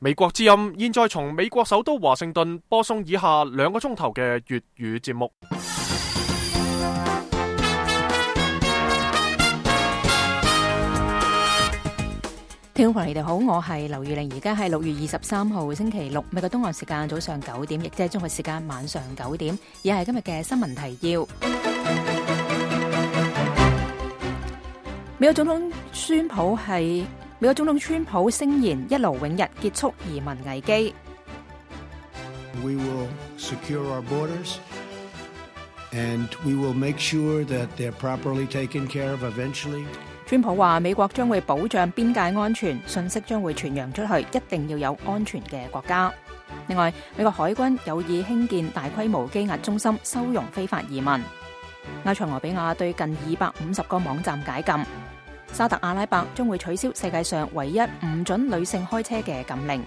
美國之音現在從美國首都華盛頓播送以下2個鐘頭嘅粵語節目。聽眾朋友你哋好，我係劉玉玲，而家係6月23號星期六，美國東岸時間早上9點，亦即係中國時間晚上9點，以下係今日嘅新聞提要。美國總統川普聲言一勞永逸結束移民危機。We will secure our borders, and we will make sure that they're properly taken care of eventually. 川普話美國將會保障邊界安全，信息將會傳揚出去，一定要有安全嘅國家。另外，美國海軍有意興建大規模羈押中心，收容非法移民。埃塞俄比亞對近250個網站解禁。沙特阿拉伯將會取消世界上唯一唔准女性開車嘅禁令。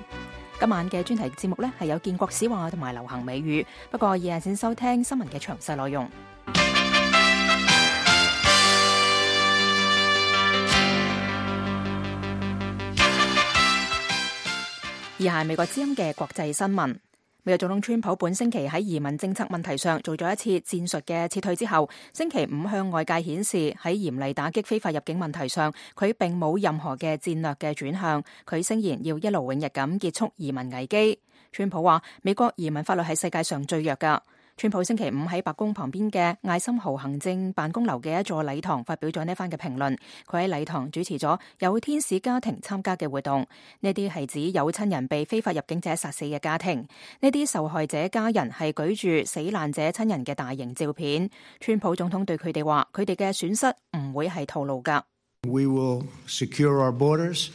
今晚嘅專題節目呢係有建國史話同埋流行美語，不過以下先收聽新聞嘅詳細內容。以下係美國之音嘅國際新聞。美國總統川普本星期喺移民政策問題上做咗一次戰術嘅撤退之後，星期五向外界顯示喺嚴厲打擊非法入境問題上，佢並冇任何嘅戰略嘅轉向。佢聲言要一勞永逸咁結束移民危機。川普話美國移民法律係世界上最弱㗎。川普星期五喺白宮旁邊嘅艾森豪行政辦公樓嘅一座禮堂發表咗呢番嘅評論。佢喺禮堂主持咗有天使家庭參加嘅活動，呢啲係指有親人被非法入境者殺死嘅家庭。呢啲受害者家人係舉住死難者親人嘅大型照片。川普總統對佢哋話，佢哋嘅損失唔會係徒勞㗎。We will secure our borders.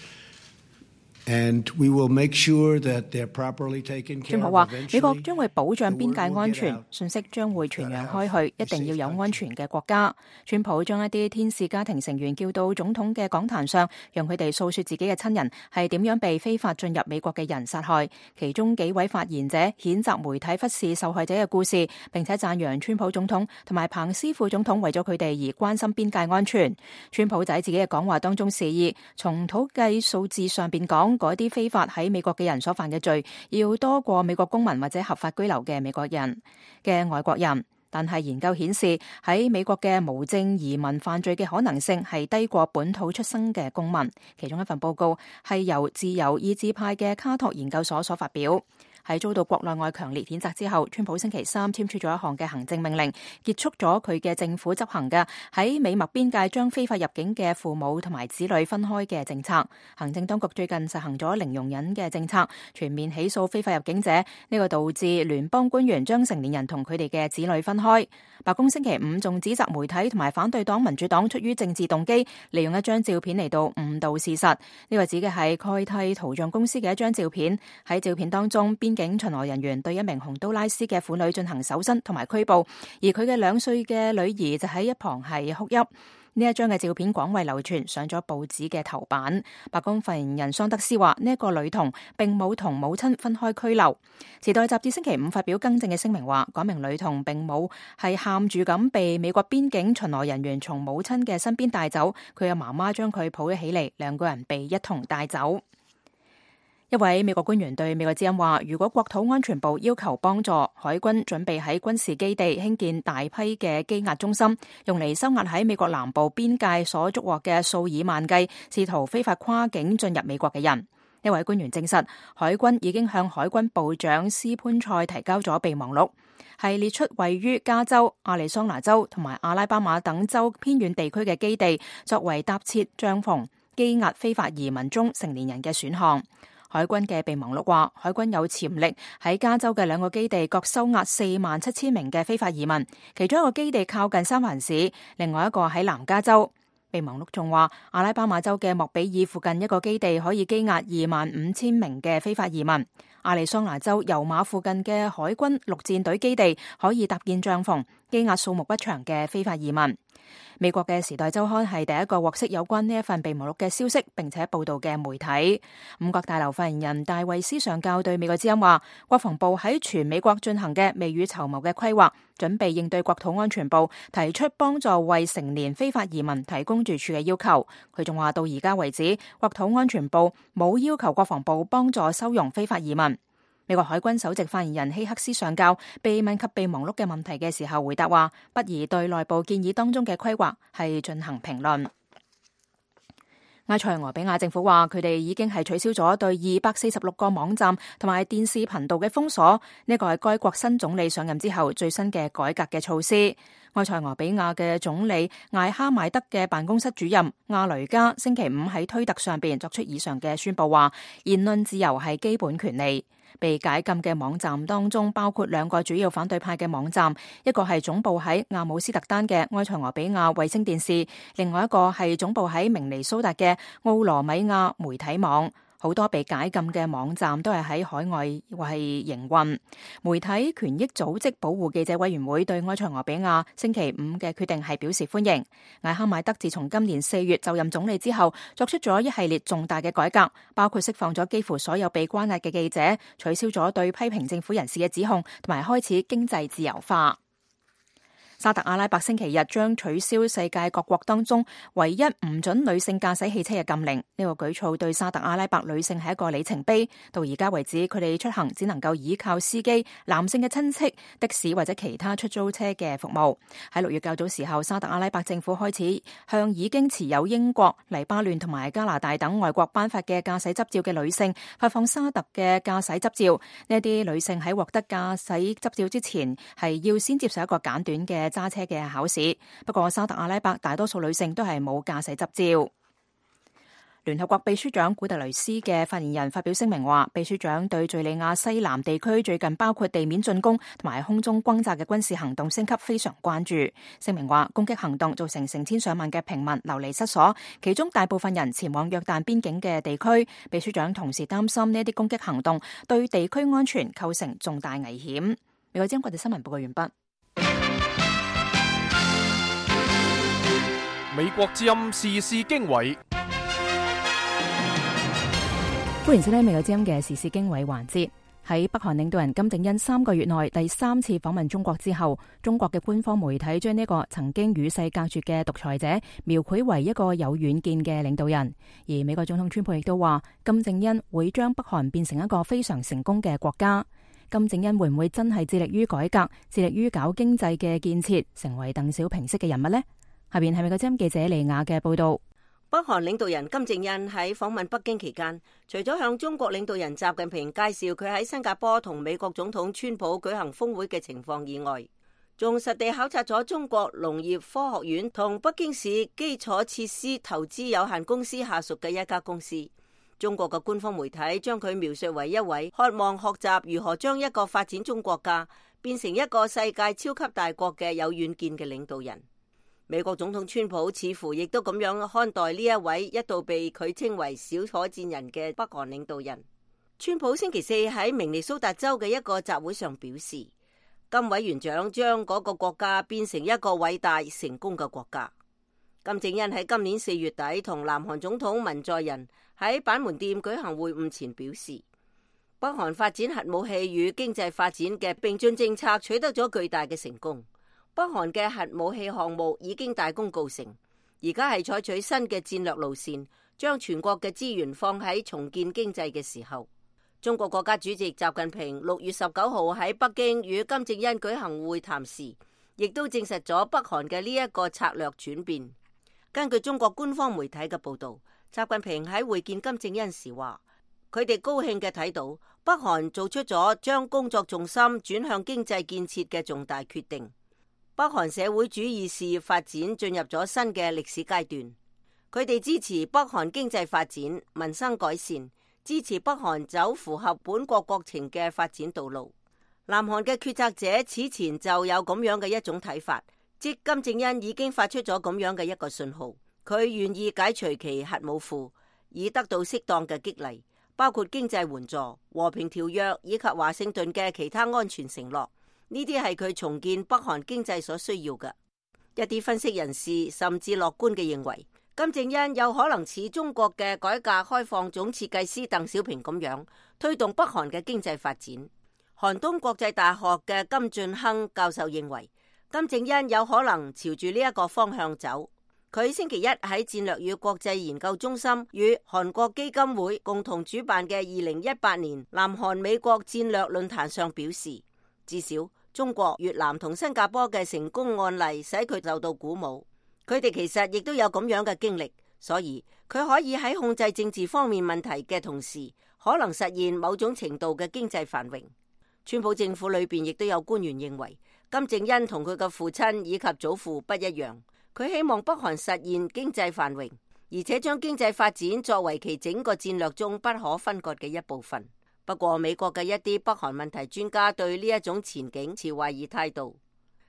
And we will make sure that they're properly taken care of. 川普話美國將會保障邊界安全，信息將會傳揚開去，一定要有安全嘅國家。川普將一啲天使家庭成員叫到總統嘅講壇上，讓佢哋訴說自己嘅親人係點樣被非法進入美國嘅人殺害。其中幾位發言者譴責媒體忽視受害者嘅故事，並且讚揚川普總統同埋彭斯副總統為咗佢哋而關心邊界安全。川普喺自己嘅講話當中示意，從統計數字上邊講，嗰啲非法喺美國嘅人所犯嘅罪，要多過美國公民或者合法居留嘅美國人嘅外國人。但係研究顯示，喺美國嘅無證移民犯罪嘅可能性係低過本土出生嘅公民。其中一份報告係由自由意志派嘅卡托研究所所發表。喺遭到國內外強烈譴責之後，川普星期三簽署咗一項嘅行政命令，結束咗佢嘅政府執行嘅喺美墨邊界將非法入境嘅父母同埋子女分開嘅政策。行政當局最近實行咗零容忍嘅政策，全面起訴非法入境者，呢個導致聯邦官員將成年人同佢哋嘅子女分開。白宮星期五仲指責媒體同埋反對黨民主黨出於政治動機，利用一張照片嚟到誤導事實。呢個指嘅係蓋蒂圖像公司嘅一張照片。喺照片當中，邊境巡邏人員對一名洪都拉斯嘅婦女進行搜身同埋拘捕，而佢嘅2歲嘅女兒就喺一旁係哭泣。呢一張嘅照片廣為流傳，上咗報紙嘅頭版。白宮發言人桑德斯話，呢一個女童並冇同母親分開拘留。時代雜誌星期五發表更正嘅聲明話，嗰名女童並冇係喊住咁被美國邊境巡邏人員從母親嘅身邊帶走，佢嘅媽媽將佢抱咗起嚟，2個人被一同帶走。一位美國官員對美國之音話，如果國土安全部要求幫助，海軍準備喺軍事基地興建大批嘅羈押中心，用嚟收押喺美國南部邊界所捉獲嘅數以萬計試圖非法跨境進入美國嘅人。一位官員證實，海軍已經向海軍部長斯潘塞提交咗備忘錄，係列出位於加州、亞利桑那州同埋阿拉巴馬等州偏遠地區嘅基地，作為搭設帳篷羈押非法移民中成年人嘅選項。海軍嘅備忘錄話，海軍有潛力喺加州嘅2個基地各收押47000名嘅非法移民，其中一個基地靠近三藩市，另外一個喺南加州。備忘錄仲話，阿拉巴馬州嘅莫比爾附近一個基地可以羈押25000名嘅非法移民，亞利桑那州油馬附近嘅海軍陸戰隊基地可以搭建帳篷羈押數目不詳嘅非法移民。美國嘅《時代週刊》係第一個獲悉有關呢一份備忘錄嘅消息，並且報道嘅媒體。五角大樓發言人戴維斯上校對美國之音話，國防部喺全美國進行嘅未雨綢繆嘅規劃，準備應對國土安全部提出幫助為成年非法移民提供住處嘅要求。佢仲話到而家為止，國土安全部冇要求國防部幫助收容非法移民。美國海軍首席發言人希克斯上校被問及備忘錄嘅問題嘅時候，回答話不宜對內部建議當中嘅規劃係進行評論。埃塞俄比亞政府話佢哋已經係取消咗對246個網站同埋電視頻道嘅封鎖，呢個係該國新總理上任之後最新嘅改革嘅措施。埃塞俄比亞嘅總理艾哈邁德嘅辦公室主任亞雷加星期五喺推特上邊作出以上嘅宣佈，話言論自由係基本權利。被解禁嘅網站當中包括兩個主要反對派嘅網站，一個係總部喺阿姆斯特丹嘅埃塞俄比亞衛星電視，另外一個係總部喺明尼蘇達嘅奧羅米亞媒體網。好多被解禁嘅網站都係喺海外係營運。媒體權益組織保護記者委員會對埃塞俄比亞星期五嘅決定係表示歡迎。艾哈邁德自從今年4月就任總理之後，作出咗一系列重大嘅改革，包括釋放咗幾乎所有被關押嘅記者，取消咗對批評政府人士嘅指控，同埋開始經濟自由化。沙特阿拉伯星期日將取消世界各國當中唯一唔准女性駕駛汽車嘅禁令。呢個舉措對沙特阿拉伯女性係一個里程碑。到而家為止，佢哋出行只能夠依靠司機、男性嘅親戚、的士或者其他出租車嘅服務。喺6月較早時候，沙特阿拉伯政府開始向已經持有英國、黎巴嫩同埋加拿大等外國頒發嘅駕駛執照嘅女性發放沙特嘅駕駛執照。呢啲女性喺獲得駕駛執照之前，係要先接受一個簡短嘅揸車嘅考試，不過沙特阿拉伯大多數女性都係冇駕駛執照。聯合國秘書長古特雷斯嘅發言人發表聲明話，秘書長對敘利亞西南地區最近包括地面進攻同埋空中轟炸嘅軍事行動升級非常關注。聲明話，攻擊行動造成成千上萬嘅平民流離失所，其中大部分人前往約旦邊境嘅地區。秘書長同時擔心呢啲攻擊行動對地區安全構成重大危險。美國之音國際新聞報告完畢。美國之音時事經緯，歡迎收聽美國之音嘅時事經緯環節。喺北韓領導人金正恩3個月內第3次訪問中國之後，中國嘅官方媒體將呢個曾經與世隔絕嘅獨裁者描繪為一個有遠見嘅領導人。而美國總統川普亦都話，金正恩會將北韓變成一個非常成功嘅國家。金正恩會唔會真係致力於改革、致力於搞經濟嘅建設，成為鄧小平式嘅人物呢？下邊係美國之音記者利亞嘅報道。北韓領導人金正恩喺訪問北京期間，除咗向中國領導人習近平介紹佢喺新加坡同美國總統川普舉行峰會嘅情況以外，仲實地考察咗中國農業科學院同北京市基礎設施投資有限公司下屬嘅一家公司。中國嘅官方媒體將佢描述為一位渴望學習如何將一個發展中國家變成一個世界超級大國嘅有遠見嘅領導人。美國總統川普似乎亦都咁樣看待呢一位一度被佢稱為小火箭人嘅北韓領導人。川普星期四喺明尼蘇達州嘅一個集會上表示，金委員長將嗰個國家變成一個偉大成功嘅國家。金正恩喺今年4月底同南韓總統文在寅喺板門店舉行會晤前表示，北韓發展核武器與經濟發展嘅並進政策取得咗巨大嘅成功。北韓嘅核武器項目已經大功告成，而家係採取新嘅戰略路線，將全國嘅資源放喺重建經濟嘅時候。中國國家主席習近平6月19號喺北京與金正恩舉行會談時，亦都證實咗北韓嘅呢一個策略轉變。根據中國官方媒體嘅報道，習近平喺會見金正恩時話，佢哋高興嘅睇到北韓做出咗將工作重心轉向經濟建設嘅重大決定。北韓社會主義事業發展進入咗新嘅歷史階段，佢哋支持北韓經濟發展、民生改善，支持北韓走符合本國國情嘅發展道路。南韓嘅決策者此前就有咁樣嘅一種睇法，即金正恩已經發出咗咁樣嘅一個信號，佢願意解除其核武庫，以得到適當嘅激勵，包括經濟援助、和平條約以及華盛頓嘅其他安全承諾。呢啲係佢重建北韓經濟所需要嘅。一啲分析人士甚至樂觀嘅認為，金正恩有可能似中國嘅改革開放總設計師鄧小平咁樣，推動北韓嘅經濟發展。韓東國際大學嘅金俊亨教授認為，金正恩有可能朝住呢一個方向走。佢星期一喺戰略與國際研究中心與韓國基金會共同主辦嘅2018年南韓美國戰略論壇上表示，至少中國、越南同新加坡嘅成功案例使佢受到鼓舞。佢哋其實亦都有咁樣嘅經歷，所以佢可以喺控制政治方面問題嘅同時，可能實現某種程度嘅經濟繁榮。川普政府裏邊亦都有官員認為，金正恩同佢嘅父親以及祖父不一樣，佢希望北韓實現經濟繁榮，而且將經濟發展作為其整個戰略中不可分割嘅一部分。不過，美國嘅一啲北韓問題專家對呢一種前景持懷疑態度。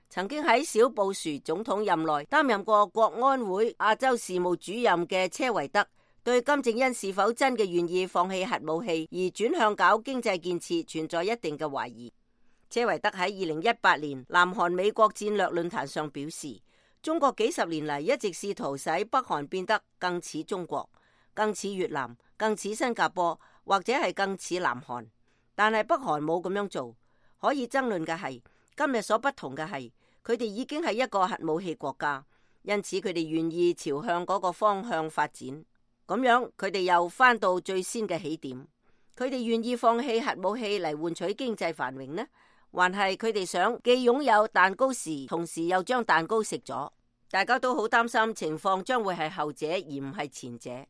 曾經喺小布殊總統任內擔任過國安會亞洲事務主任嘅車維德，對金正恩是否真嘅願意放棄核武器而轉向搞經濟建設存在一定嘅懷疑。車維德喺2018年南韓美國戰略論壇上表示，中國幾十年嚟一直試圖使北韓變得更似中國、更似越南、更似新加坡，或者係更似南韓，但係北韓冇咁樣做。可以爭論嘅係，今日所不同嘅係，佢哋已經係一個核武器國家，因此佢哋願意朝向嗰個方向發展。咁樣佢哋又返到最先嘅起點。佢哋願意放棄核武器嚟換取經濟繁榮呢？還係佢哋想既擁有蛋糕時，同時又將蛋糕食咗？大家都好擔心情況將會係後者而唔係前者。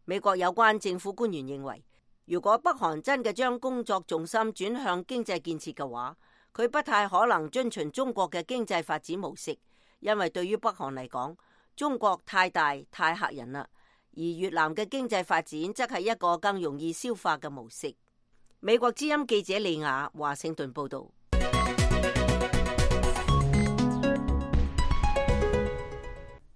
美國有關政府官員認為，如果北韓真嘅將工作重心轉向經濟建設嘅話，佢不太可能遵循中國嘅經濟發展模式，因為對於北韓嚟講，中國太大太嚇人啦。而越南嘅經濟發展則係一個更容易消化嘅模式。美國之音記者利亞華盛頓報道。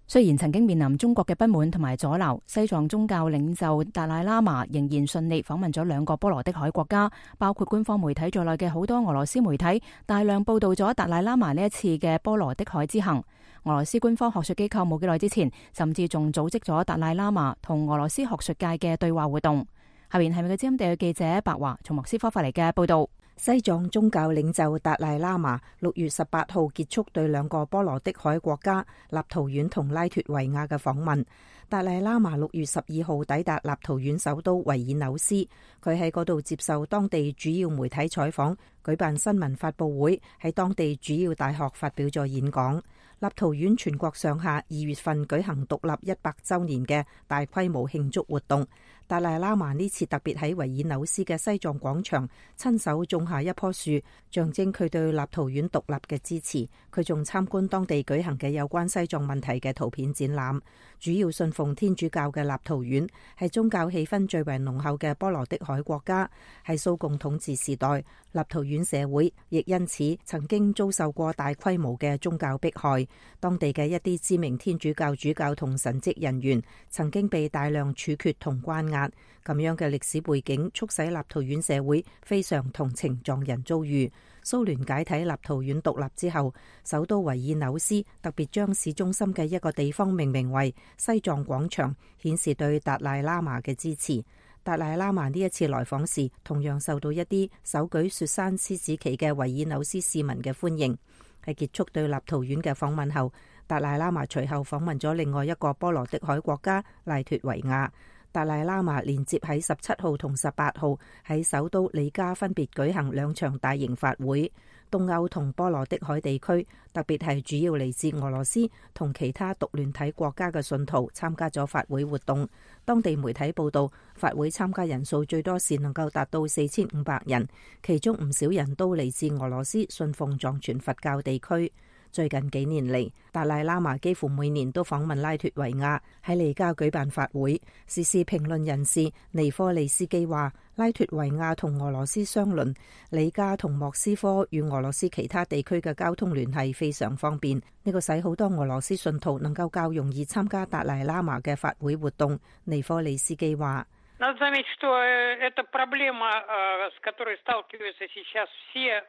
雖然曾經面臨中國嘅不滿同埋阻撓，西藏宗教領袖達賴喇嘛仍然順利訪問咗兩個波羅的海國家，包括官方媒體在內嘅好多俄羅斯媒體大量報道咗達賴喇嘛呢一次嘅波羅的海之行。俄羅斯官方學術機構冇幾耐之前，甚至仲組織咗達賴喇嘛同俄羅斯學術界嘅對話活動。下面係美國之音地嘅記者白華從莫斯科發嚟嘅報道。西藏宗教領袖達賴喇嘛6月18號結束對兩個波羅的海國家立陶宛同拉脫維亞嘅訪問。達賴喇嘛6月12號抵達立陶宛首都維爾紐斯，佢喺嗰度接受當地主要媒體採訪，舉辦新聞發佈會，喺當地主要大學發表咗演講。立陶宛全國上下2月份舉行獨立100週年嘅大規模慶祝活動。達賴喇嘛呢次特別喺維爾紐斯嘅西藏廣場親手種下一棵樹，象徵佢對立陶宛獨立嘅支持。佢仲參觀當地舉行嘅有關西藏問題嘅圖片展覽。主要信奉天主教嘅立陶宛係宗教氣氛最為濃厚嘅波羅的海國家。喺蘇共統治時代，立陶宛社會亦因此曾經遭受過大規模嘅宗教迫害。當地嘅一啲知名天主教主教同神職人員曾經被大量處決同關押。咁樣嘅歷史背景促使立陶宛社會非常同情藏人遭遇。蘇聯解體立陶宛獨立之後，首都維爾紐斯特別將市中心嘅一個地方命名為西藏廣場，顯示對達賴喇嘛嘅支持。達賴喇嘛呢一次來訪時，同樣受到一啲手舉雪山獅子旗嘅維爾紐斯市民嘅歡迎。喺結束對立陶宛嘅訪問後，達賴喇嘛隨後訪問咗另外一個波羅的海國家拉脫維亞。達賴喇嘛連接喺17號同18號喺首都里加分別舉行2場大型法會。東歐同波羅的海地區，特別係主要嚟自俄羅斯同其他獨聯體國家嘅信徒參加咗法會活動。當地媒體報道，法會參加人數最多時能夠達到4500人，其中唔少人都嚟自俄羅斯信奉藏傳佛教地區。最近幾年嚟，達賴喇嘛幾乎每年都訪問拉脫維亞，喺里加舉辦法會。時事評論人士尼科利斯基話，拉脫維亞同俄羅斯相鄰，里加同莫斯科與俄羅斯其他地區嘅交通聯繫非常方便，呢個使好多俄羅斯信徒能夠較容易參加達賴喇嘛嘅法會活動。尼科利斯基話， Надо заметить, что это проблема, с которой сталкиваются сейчас все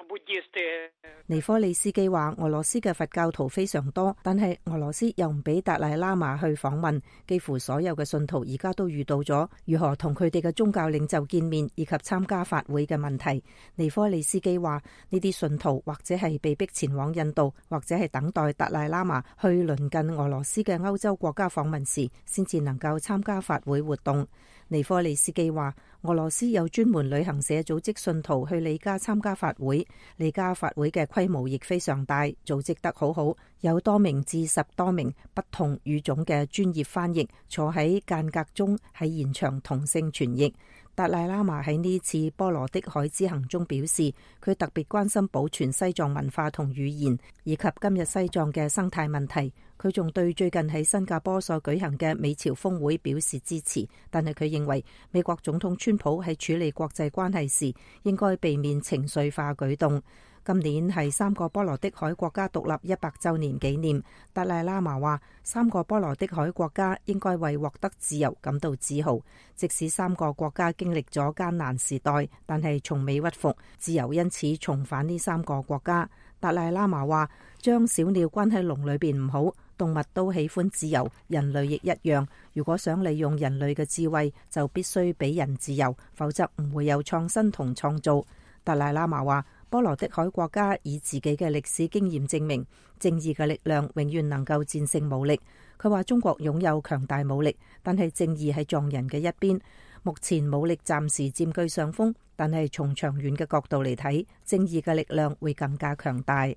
буддисты. 尼科利斯基話：俄羅斯嘅佛教徒非常多，但係俄羅斯又唔俾達賴喇嘛去訪問，幾乎所有嘅信徒而家都遇到咗如何同佢哋嘅宗教領袖見面以及參加法會嘅問題。尼科利斯基話：呢啲信徒或者係被逼前往印度，或者係等待達賴喇嘛去鄰近俄羅斯嘅歐洲國家訪問時，先至能夠參加法會活動。尼科利斯基話：俄羅斯有專門旅行社組織信徒去里加參加法會，里加法會嘅規模亦非常大，組織得好好，有多名至10多名不同語種嘅專業翻譯坐喺間隔中喺現場同聲傳譯。達賴喇嘛喺呢次波羅的海之行中表示，佢特別關心保存西藏文化同語言，以及今日西藏嘅生態問題。佢仲對最近喺新加坡所舉行嘅美朝峰會表示支持，但係佢認為美國總統川普喺處理國際關係時應該避免情緒化舉動。今年係3個波羅的海國家獨立100週年紀念，達賴喇嘛話3個波羅的海國家應該為獲得自由感到自豪，即使3個國家經歷咗艱難時代，但係從未屈服，自由因此重返呢3個國家。達賴喇嘛話將小鳥關喺籠裏邊唔好，動物都喜歡自由，人類亦一樣。如果想利用人類嘅智慧，就必須俾人自由，否則唔會有創新同創造。達賴喇嘛話波羅的海國家以自己嘅歷史經驗證明，正義嘅力量永遠能夠戰勝武力。佢話中國擁有強大武力，但係正義喺藏人嘅一邊。目前武力暫時佔據上風，但係從長遠嘅角度嚟睇，正義嘅力量會更加強大。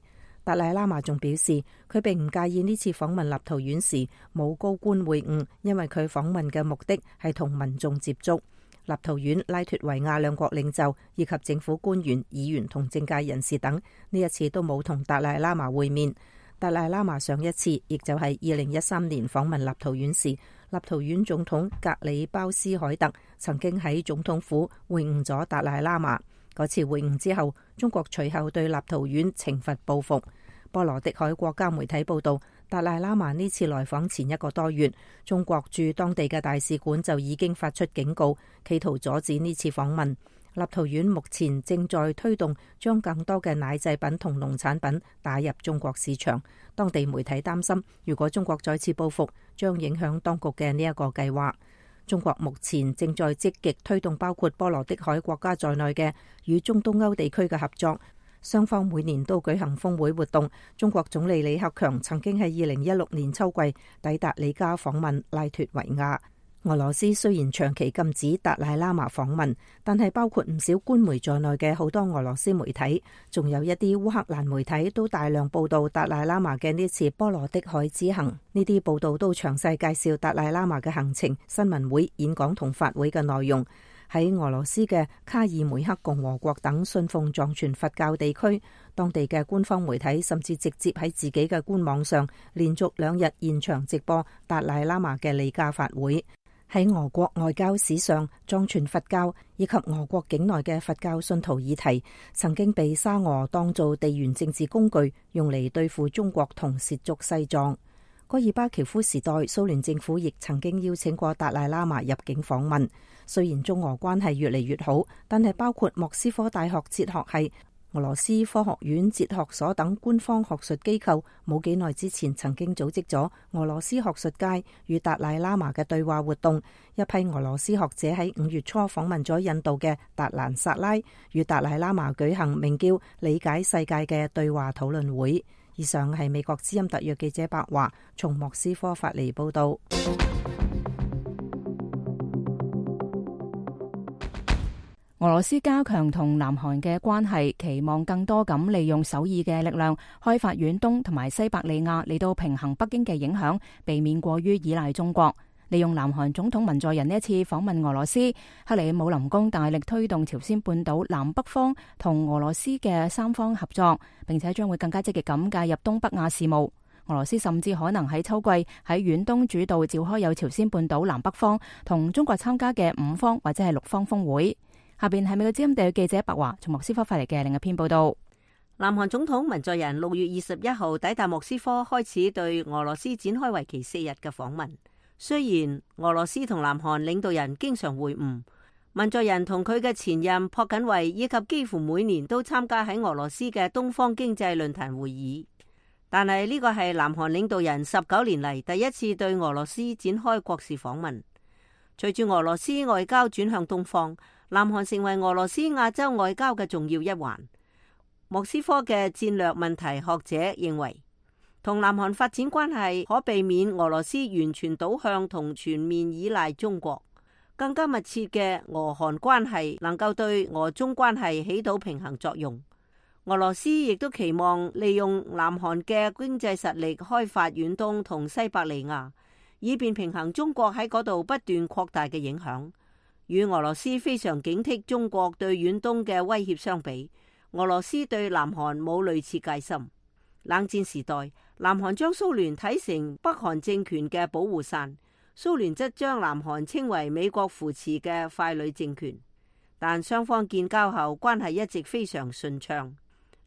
達賴喇嘛仲表示，佢並唔介意呢次訪問立陶宛時冇高官會晤，因為佢訪問嘅目的係同民眾接觸。立陶宛、拉脫維亞兩國領袖以及政府官員、議員同政界人士等呢一次都冇同達賴喇嘛會面。達賴喇嘛上一次亦就係2013年訪問立陶宛時，立陶宛總統格里鮑斯凱特曾經喺總統府會晤咗達賴喇嘛。嗰次會晤之後，中國隨後對立陶宛懲罰報復。波羅的海國家媒體報道，達賴喇嘛呢次來訪前1個多月，中國駐當地嘅大使館就已經發出警告，企圖阻止呢次訪問。立陶宛目前正在推動將更多嘅奶製品同農產品打入中國市場。當地媒體擔心，如果中國再次報復，將影響當局嘅呢一個計劃。中國目前正在積極推動包括波羅的海國家在內嘅與中東歐地區嘅合作。雙方每年都舉行峰會活動。中國總理李克強曾經喺2016年秋季抵達里加訪問拉脫維亞。俄羅斯雖然長期禁止達賴喇嘛訪問，但係包括唔少官媒在內嘅好多俄羅斯媒體，仲有一啲烏克蘭媒體都大量報道達賴喇嘛嘅呢次波羅的海之行。呢啲報道都詳細介紹達賴喇嘛嘅行程、新聞會、演講同法會嘅內容。喺俄羅斯嘅卡爾梅克共和國等信奉藏傳佛教地區，當地嘅官方媒體甚至直接喺自己嘅官網上連續2日現場直播達賴喇嘛嘅里加法會。喺俄國外交史上，藏傳佛教以及俄國境內嘅佛教信徒議題曾經被沙俄當做地緣政治工具，用嚟對付中國同褻瀆西藏。戈爾巴喬夫時代，蘇聯政府亦曾經邀請過達賴喇嘛入境訪問。雖然中俄關係越嚟越好，但係包括莫斯科大學哲學系、俄羅斯科學院哲學所等官方學術機構，冇幾耐之前曾經組織咗俄羅斯學術界與達賴喇嘛嘅對話活動。一批俄羅斯學者喺5月初訪問咗印度嘅達蘭薩拉，與達賴喇嘛舉行名叫理解世界嘅對話討論會。以上係美國之音特約記者白華從莫斯科發嚟報道。俄羅斯加強同南韓嘅關係，期望更多咁利用首爾嘅力量開發遠東同埋西伯利亞嚟到平衡北京嘅影響，避免過於依賴中國。利用南韓總統文在寅呢一次訪問俄羅斯，克里姆林宮大力推動朝鮮半島南北方同俄羅斯嘅三方合作，並且將會更加積極咁介入東北亞事務。俄羅斯甚至可能喺秋季喺遠東主導召開有朝鮮半島南北方同中國參加嘅5方或者係6方峰會。下邊係美國之音地記者白華從莫斯科發嚟嘅另一篇報道。南韓總統文在寅6月21號抵達莫斯科，開始對俄羅斯展開為期4日嘅訪問。雖然俄羅斯同南韓領導人經常會晤，文在寅同佢嘅前任朴槿惠以及幾乎每年都參加喺俄羅斯嘅東方經濟論壇會議，但係呢個係南韓領導人19年嚟第一次對俄羅斯展開國事訪問。隨住俄羅斯外交轉向東方，南韓成為俄羅斯亞洲外交嘅重要一環。莫斯科嘅戰略問題學者認為，同南韓發展關係可避免俄羅斯完全倒向同全面依賴中國，更加密切嘅俄韓關係能夠對俄中關係起到平衡作用。俄羅斯亦都期望利用南韓嘅經濟實力開發遠東同西伯利亞，以便平衡中國喺嗰度不斷擴大嘅影響。與俄羅斯非常警惕中國對遠東嘅威脅相比，俄羅斯對南韓冇類似戒心。冷戰時代，南韓將蘇聯睇成北韓政權嘅保護傘，蘇聯則將南韓稱為美國扶持嘅傀儡政權。但雙方建交後，關係一直非常順暢。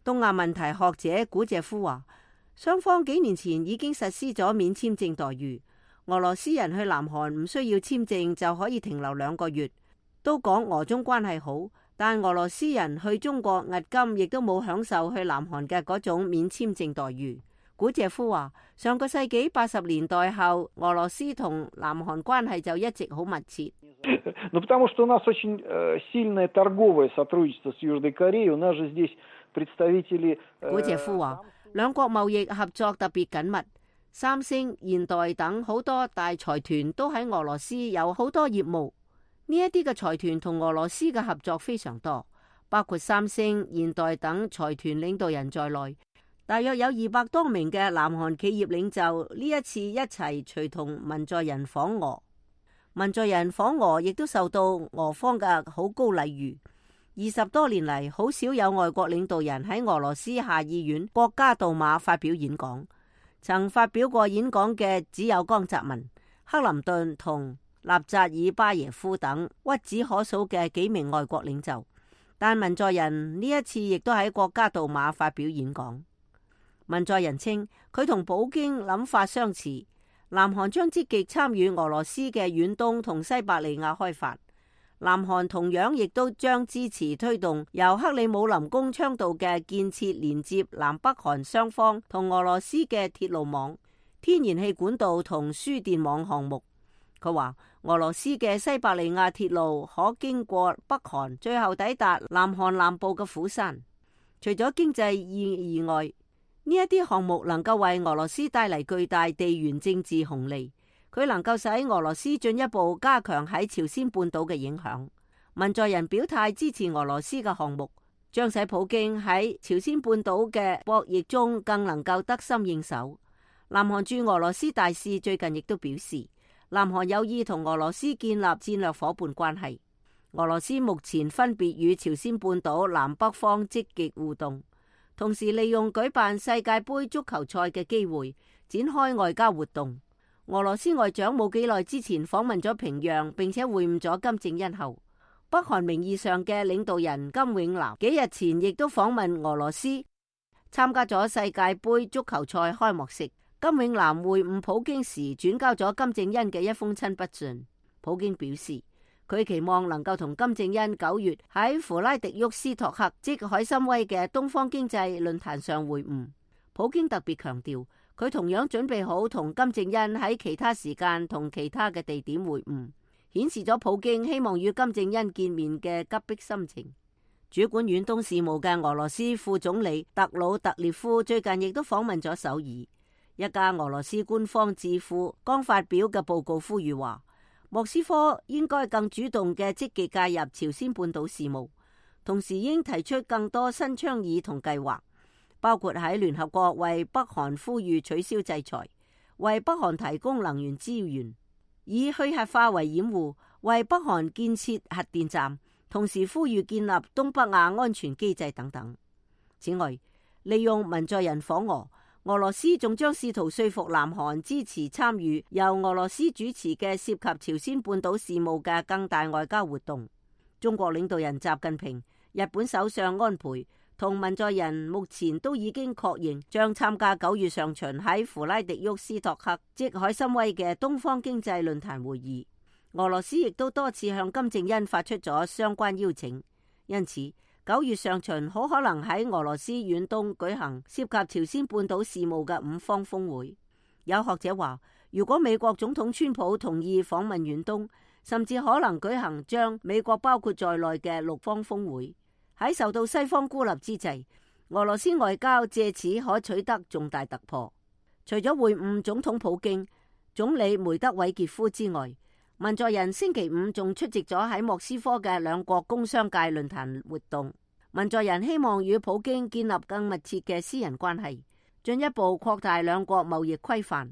東亞問題學者古謝夫話，雙方幾年前已經實施咗免簽證待遇，俄羅斯人去南韓唔需要簽證就可以停留2個月。都講俄中關係好，但俄羅斯人去中國押金亦都冇享受去南韓嘅嗰種免簽證待遇。古謝夫話，上個世紀80年代後，俄羅斯同南韓關係就一直好密切。потому что у нас очень сильное торговое сотрудничество с Южной Кореей. У нас же здесь представители。古謝夫話，兩國貿易合作特別緊密，三星、現代等好多大財團都喺俄羅斯有好多業務。呢一啲嘅財團同俄羅斯嘅合作非常多，包括三星、現代等財團領導人在內，大約有200多名嘅南韓企業領袖呢一次一齊隨同文在寅訪俄。文在寅訪俄亦都受到俄方嘅好高禮遇。20多年嚟，好少有外國領導人喺俄羅斯下議院國家杜馬發表演講。曾發表過演講嘅只有江澤民、克林頓同納扎爾巴耶夫等屈指可數嘅幾名外國領袖，但文在寅呢一次亦都喺國家杜馬發表演講。文在寅稱佢同普京諗法相似，南韓將積極參與俄羅斯嘅遠東同西伯利亞開發。南韓同樣亦都將支持推動由克里姆林宮倡導嘅建設連接南北韓雙方同俄羅斯嘅鐵路網、天然氣管道同輸電網項目。佢話俄羅斯嘅西伯利亞鐵路可經過北韓，最後抵達南韓南部嘅釜山。除咗經濟意義外，呢一啲項目能夠為俄羅斯帶嚟巨大地緣政治紅利，佢能夠使俄羅斯進一步加強喺朝鮮半島嘅影響。文在寅表態支持俄羅斯嘅項目，將使普京喺朝鮮半島嘅博弈中更能夠得心應手。南韓駐俄羅斯大使最近亦都表示，南韓有意同俄羅斯建立戰略夥伴關係。俄羅斯目前分別與朝鮮半島南北方積極互動，同時利用舉辦世界盃足球賽嘅機會展開外交活動。俄羅斯外長冇幾耐之前訪問咗平壤，並且會晤咗金正恩後，北韓名義上嘅領導人金永南幾日前亦都訪問俄羅斯，參加咗世界盃足球賽開幕式。金永南會晤普京時轉交咗金正恩嘅一封親筆信。普京表示，佢期望能夠同金正恩9月喺弗拉迪沃斯托克即海參崴嘅東方經濟論壇上會晤。普京特別強調，佢同樣準備好同金正恩喺其他時間同其他嘅地點會晤，顯示咗普京希望與金正恩見面嘅急迫心情。主管遠東事務嘅俄羅斯副總理特魯特列夫最近亦都訪問咗首爾。一家俄羅斯官方智庫剛發表嘅報告呼籲話，莫斯科應該更主動嘅積極介入朝鮮半島事務，同時應提出更多新倡議同計劃，包括喺聯合國為北韓呼籲取消制裁，為北韓提供能源資源，以去核化為掩護，為北韓建設核電站，同時呼籲建立東北亞安全機制等等。此外，利用文在寅訪俄，俄羅斯仲將試圖說服南韓支持參與由俄羅斯主持嘅涉及朝鮮半島事務嘅更大外交活動。中國領導人習近平、日本首相安倍、同文在寅目前都已經確認將參加9月上旬喺弗拉迪沃斯托克即海參崴嘅東方經濟論壇會議。俄羅斯亦都多次向金正恩發出咗相關邀請，因此9月上旬好可能喺俄羅斯遠東舉行涉及朝鮮半島事務嘅5方峰會。有學者話，如果美國總統川普同意訪問遠東，甚至可能舉行將美國包括在內嘅6方峰會。喺受到西方孤立之際，俄羅斯外交借此可取得重大突破。除咗會晤總統普京、總理梅德韋傑夫之外，文在寅星期5仲出席咗喺莫斯科嘅兩國工商界論壇活動。文在寅希望與普京建立更密切嘅私人關係，進一步擴大兩國貿易規範。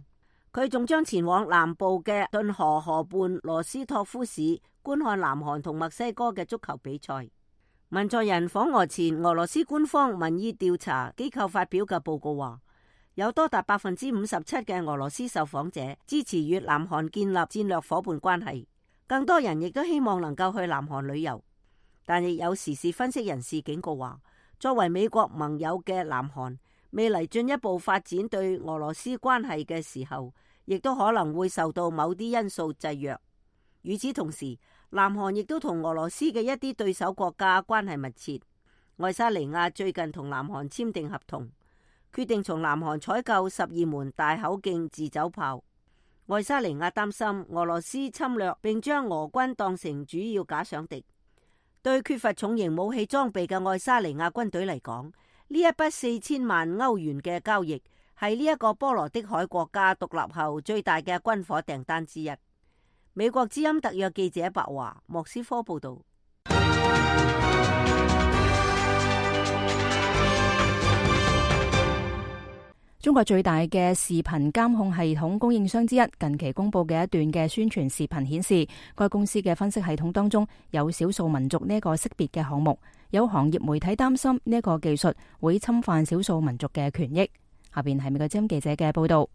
佢仲將前往南部嘅頓河河畔羅斯托夫市觀看南韓同墨西哥嘅足球比賽。文在寅訪俄前，俄羅斯官方民意調查機構發表嘅報告話，有多達57%嘅俄羅斯受訪者支持與南韓建立戰略夥伴關係，更多人亦都希望能夠去南韓旅遊。但亦有時事分析人士警告話，作為美國盟友嘅南韓，未來進一步發展對俄羅斯關係嘅時候，亦都可能會受到某啲因素制約。與此同時，南韓亦都同俄羅斯嘅一啲對手國家關係密切。愛沙尼亞最近同南韓簽訂合同，決定從南韓採購12門大口徑自走炮。愛沙尼亞擔心俄羅斯侵略並將俄軍當成主要假想敵。對缺乏重型武器裝備嘅愛沙尼亞軍隊嚟講，呢一筆4000萬歐元嘅交易係呢一個波羅的海國家獨立後最大嘅軍火訂單之一。美國之音特約記者白華，莫斯科報道。中國最大嘅視頻監控系統供應商之一近期公布嘅一段嘅宣傳視頻顯示，該公司嘅分析系統當中有少數民族呢一個識別嘅項目。有行業媒體擔心呢一個技術會侵犯少數民族嘅權益。下邊係美國之音記者嘅報道。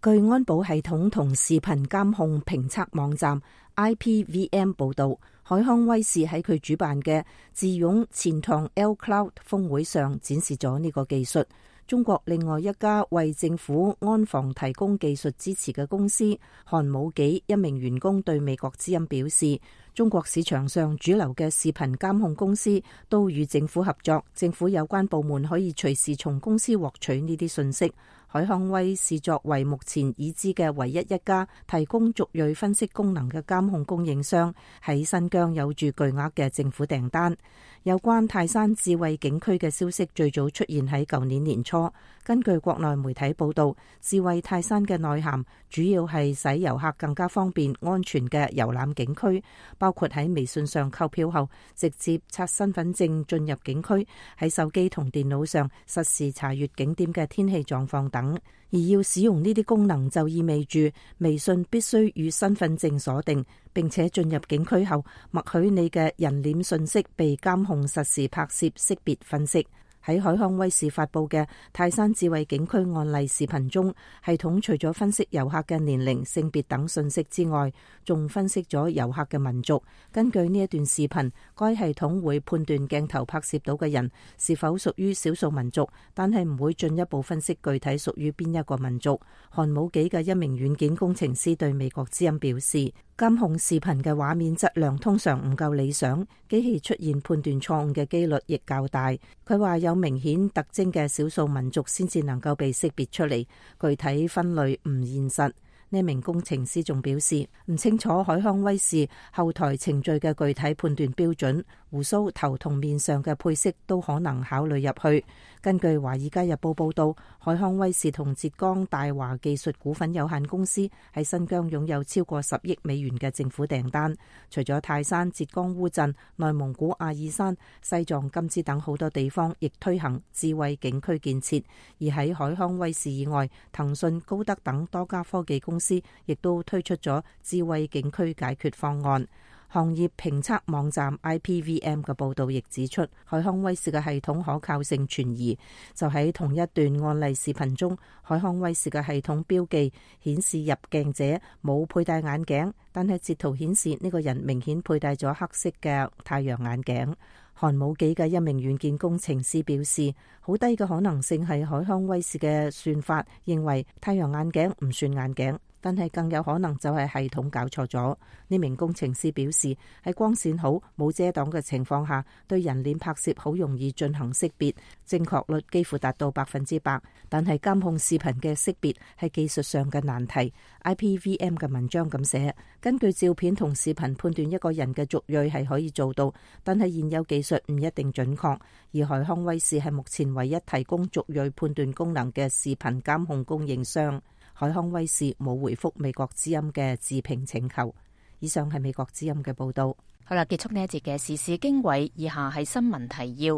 據安保系統同視頻監控評測網站 IPVM 報道，海康威視喺佢主辦嘅智勇錢塘 L Cloud 峰會上展示咗呢個技術。中國另外一家為政府安防提供技術支持嘅公司韓武紀一名員工對美國之音表示，中國市場上主流嘅視頻監控公司都與政府合作，政府有關部門可以隨時從公司獲取呢啲信息。海康威視作為目前已知嘅唯一一家提供族裔分析功能嘅監控供應商，喺新疆有住巨額嘅政府訂單。有關泰山智慧景區嘅消息最早出現喺舊年年初。根據國內媒體報道，智慧泰山嘅內涵主要係使遊客更加方便安全嘅遊覽景區，包括喺微信上購票後直接刷身份證進入景區，喺手機同電腦上實時查閱景點嘅天氣狀況等。而要使用呢啲功能，就意味住微信必須與身份證鎖定，並且進入景區後默許你嘅人臉信息被監控實時拍攝、識別、分析。喺海康威視發佈嘅泰山智慧景區案例視頻中，系統除咗分析遊客嘅年齡、性別等信息之外，仲分析咗遊客嘅民族。根據呢一段視頻，該系統會判斷鏡頭拍攝到嘅人是否屬於少數民族，但係唔會進一步分析具體屬於邊一個民族。韓武紀嘅一名軟件工程師對美國之音表示，監控視頻嘅畫面質量通常唔夠理想，機器出現判斷錯誤嘅機率亦較大。佢話有明顯特徵嘅少數民族先至能夠被識別出嚟，具體分類唔現實。呢名工程師仲表示，唔清楚海康威視後台程序嘅具體判斷標準，鬍鬚、頭同面上嘅配色都可能考慮入去。根據《華爾街日報》報道，海康威視同浙江大華技術股份有限公司喺新疆擁有超過10億美元嘅政府訂單。除咗泰山、浙江烏鎮、內蒙古阿爾山、西藏甘孜等好多地方，亦推行智慧景區建設。而喺海康威視以外，騰訊、高德等多家科技公司亦都推出咗智慧景區解決方案。行業評測網站 IPVM 嘅報導亦指出，海康威視嘅系統可靠性存疑。就喺同一段案例視頻中，海康威視嘅系統標記顯示入鏡者冇佩戴眼鏡，但係截圖顯示呢個人明顯佩戴咗黑色嘅太陽眼鏡。寒武紀嘅一名軟件工程師表示，好低嘅可能性係海康威視嘅算法認為太陽眼鏡唔算眼鏡，但係更有可能就係系統搞錯咗。呢名工程師表示，喺光線好、冇遮擋嘅情況下，對人臉拍攝好容易進行識別，正確率幾乎達到100%。但係監控視頻嘅識別係技術上嘅難題。IPVM 嘅文章咁寫，根據照片同視頻判斷一個人嘅族裔係可以做到，但係現有技術唔一定準確。而海康威視係目前唯一提供族裔判斷功能嘅視頻監控供應商。海康威視冇回覆美國之音嘅置評請求。以上係美國之音嘅報道。好啦，結束呢一節嘅時事經緯，以下係新聞提要。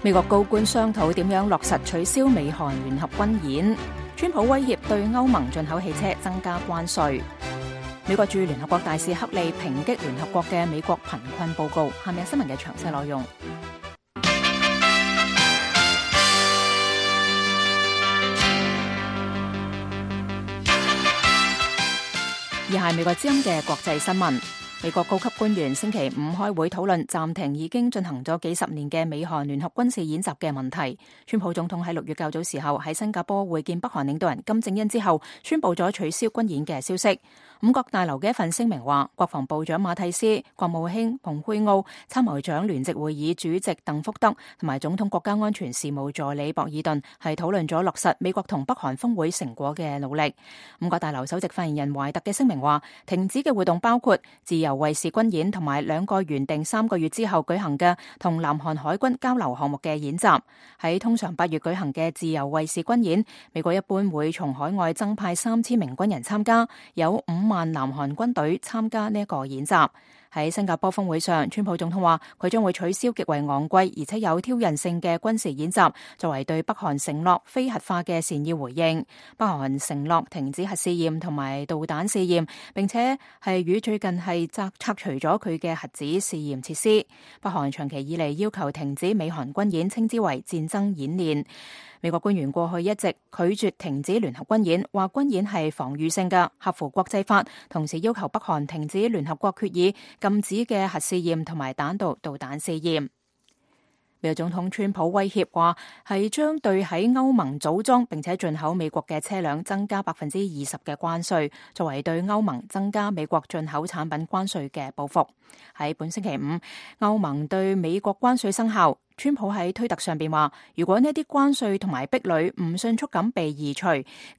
美國高官商討點樣落實取消美韓聯合軍演。川普威脅對歐盟進口汽車增加關稅。美國駐聯合國大使克利抨擊聯合國嘅美國貧困報告。下面係新聞嘅詳細內容。以下係美國之音嘅國際新聞。美國高級官員星期五開會討論暫停已經進行咗幾十年嘅美韓聯合軍事演習嘅問題。川普總統喺6月較早時候喺新加坡會見北韓領導人金正恩之後，宣布咗取消軍演嘅消息。五角大樓嘅一份聲明話，國防部長馬蒂斯、國務卿蓬佩奧、參謀長聯席會議主席鄧福德同埋總統國家安全事務助理博爾頓係討論咗落實美國同北韓峰會成果嘅努力。五角大樓首席發言人懷特嘅聲明話，停止嘅活動包括自由衛士軍演同埋2個原定3個月之後舉行嘅同南韓海軍交流項目嘅演習。喺通常8月舉行嘅自由衛士軍演，美國一般會從海外增派3000名軍人參加，有5萬南韓軍隊參加呢一個演習。喺新加坡峰會上，川普總統話佢將會取消極為昂貴而且有挑釁性嘅軍事演習，作為對北韓承諾非核化嘅善意回應。北韓承諾停止核試驗同埋導彈試驗，並且係與最近係拆除咗佢嘅核子試驗設施。北韓長期以嚟要求停止美韓軍演，稱之為戰爭演練。美國官員過去一直拒絕停止聯合軍演，話軍演係防禦性嘅，合乎國際法，同時要求北韓停止聯合國決議禁止嘅核試驗同埋彈道導彈試驗。美國總統川普威脅話係將對喺歐盟組裝並且進口美國嘅車輛增加20%嘅關稅，作為對歐盟增加美國進口產品關稅嘅報復。喺本星期五，歐盟對美國關稅生效。川普喺推特上邊話，如果呢啲關稅同埋壁壘唔迅速咁被移除，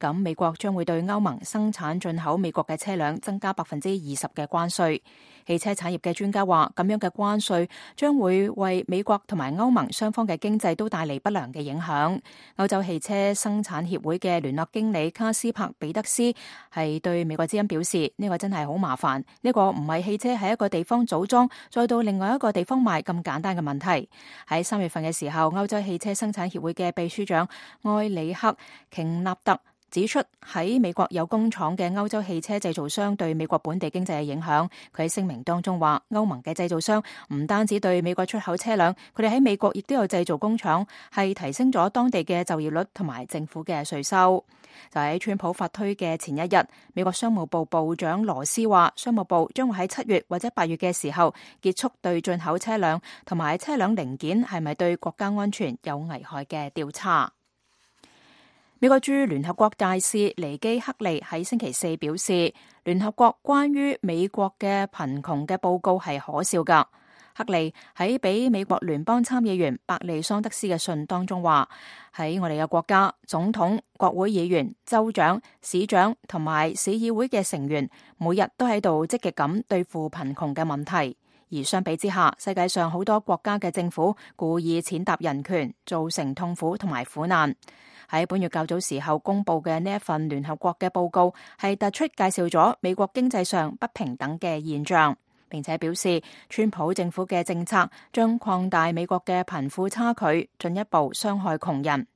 咁美國將會對歐盟生產進口美國嘅車輛增加20%嘅關稅。汽車產業嘅專家話，咁樣嘅關稅將會為美國同埋歐盟雙方嘅經濟都帶嚟不良嘅影響。歐洲汽車生產協會嘅聯絡經理卡斯柏彼得斯係對美國之音表示，呢個真係好麻煩，呢個唔係汽車喺一個地方組裝再到另外一個地方賣咁簡單嘅問題。喺3月份嘅時候，歐洲汽車生產協會嘅秘書長埃里克瓊納特指出，喺美國有工廠嘅歐洲汽車製造商對美國本地經濟嘅影響。佢喺聲明當中話，歐盟嘅製造商唔單止對美國出口車輛，佢哋喺美國亦都有製造工廠，係提升咗當地嘅就業率同埋政府嘅稅收。就喺川普發推嘅前一日，美國商務部部長羅斯話，商務部將會喺7月或者8月嘅時候結束對進口車輛同埋車輛零件係咪對國家安全有危害嘅調查。美國駐聯合國大使尼基克利喺星期4表示，聯合國關於美國嘅貧窮嘅報告係可笑㗎。克利喺俾美國聯邦參議員伯利桑德斯嘅信當中話，喺我哋嘅國家，總統、國會議員、州長、市長同埋市議會嘅成員每日都喺度積極咁對付貧窮嘅問題。而相比之下，世界上好多國家嘅政府故意踐踏人權，造成痛苦同埋苦難。喺本月較早時候公布嘅呢一份聯合國嘅報告，係突出介紹咗美國經濟上不平等嘅現象，並且表示川普政府嘅政策將擴大美國嘅貧富差距，進一步傷害窮人。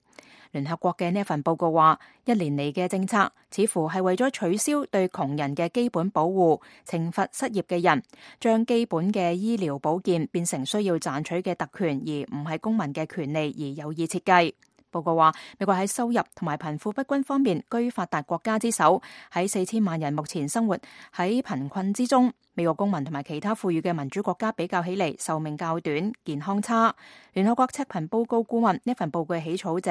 聯合國嘅呢一份報告話，1年嚟嘅政策似乎係為咗取消對窮人嘅基本保護，懲罰失業嘅人，將基本嘅醫療保健變成需要賺取嘅特權，而唔係公民嘅權利，而有意設計。報告話，美國喺收入同埋貧富不均方面居發達國家之首，喺4000萬人目前生活喺貧困之中。美國公民同埋其他富裕嘅民主國家比較起嚟，壽命較短，健康差。聯合國赤貧報告顧問呢份報告嘅起草者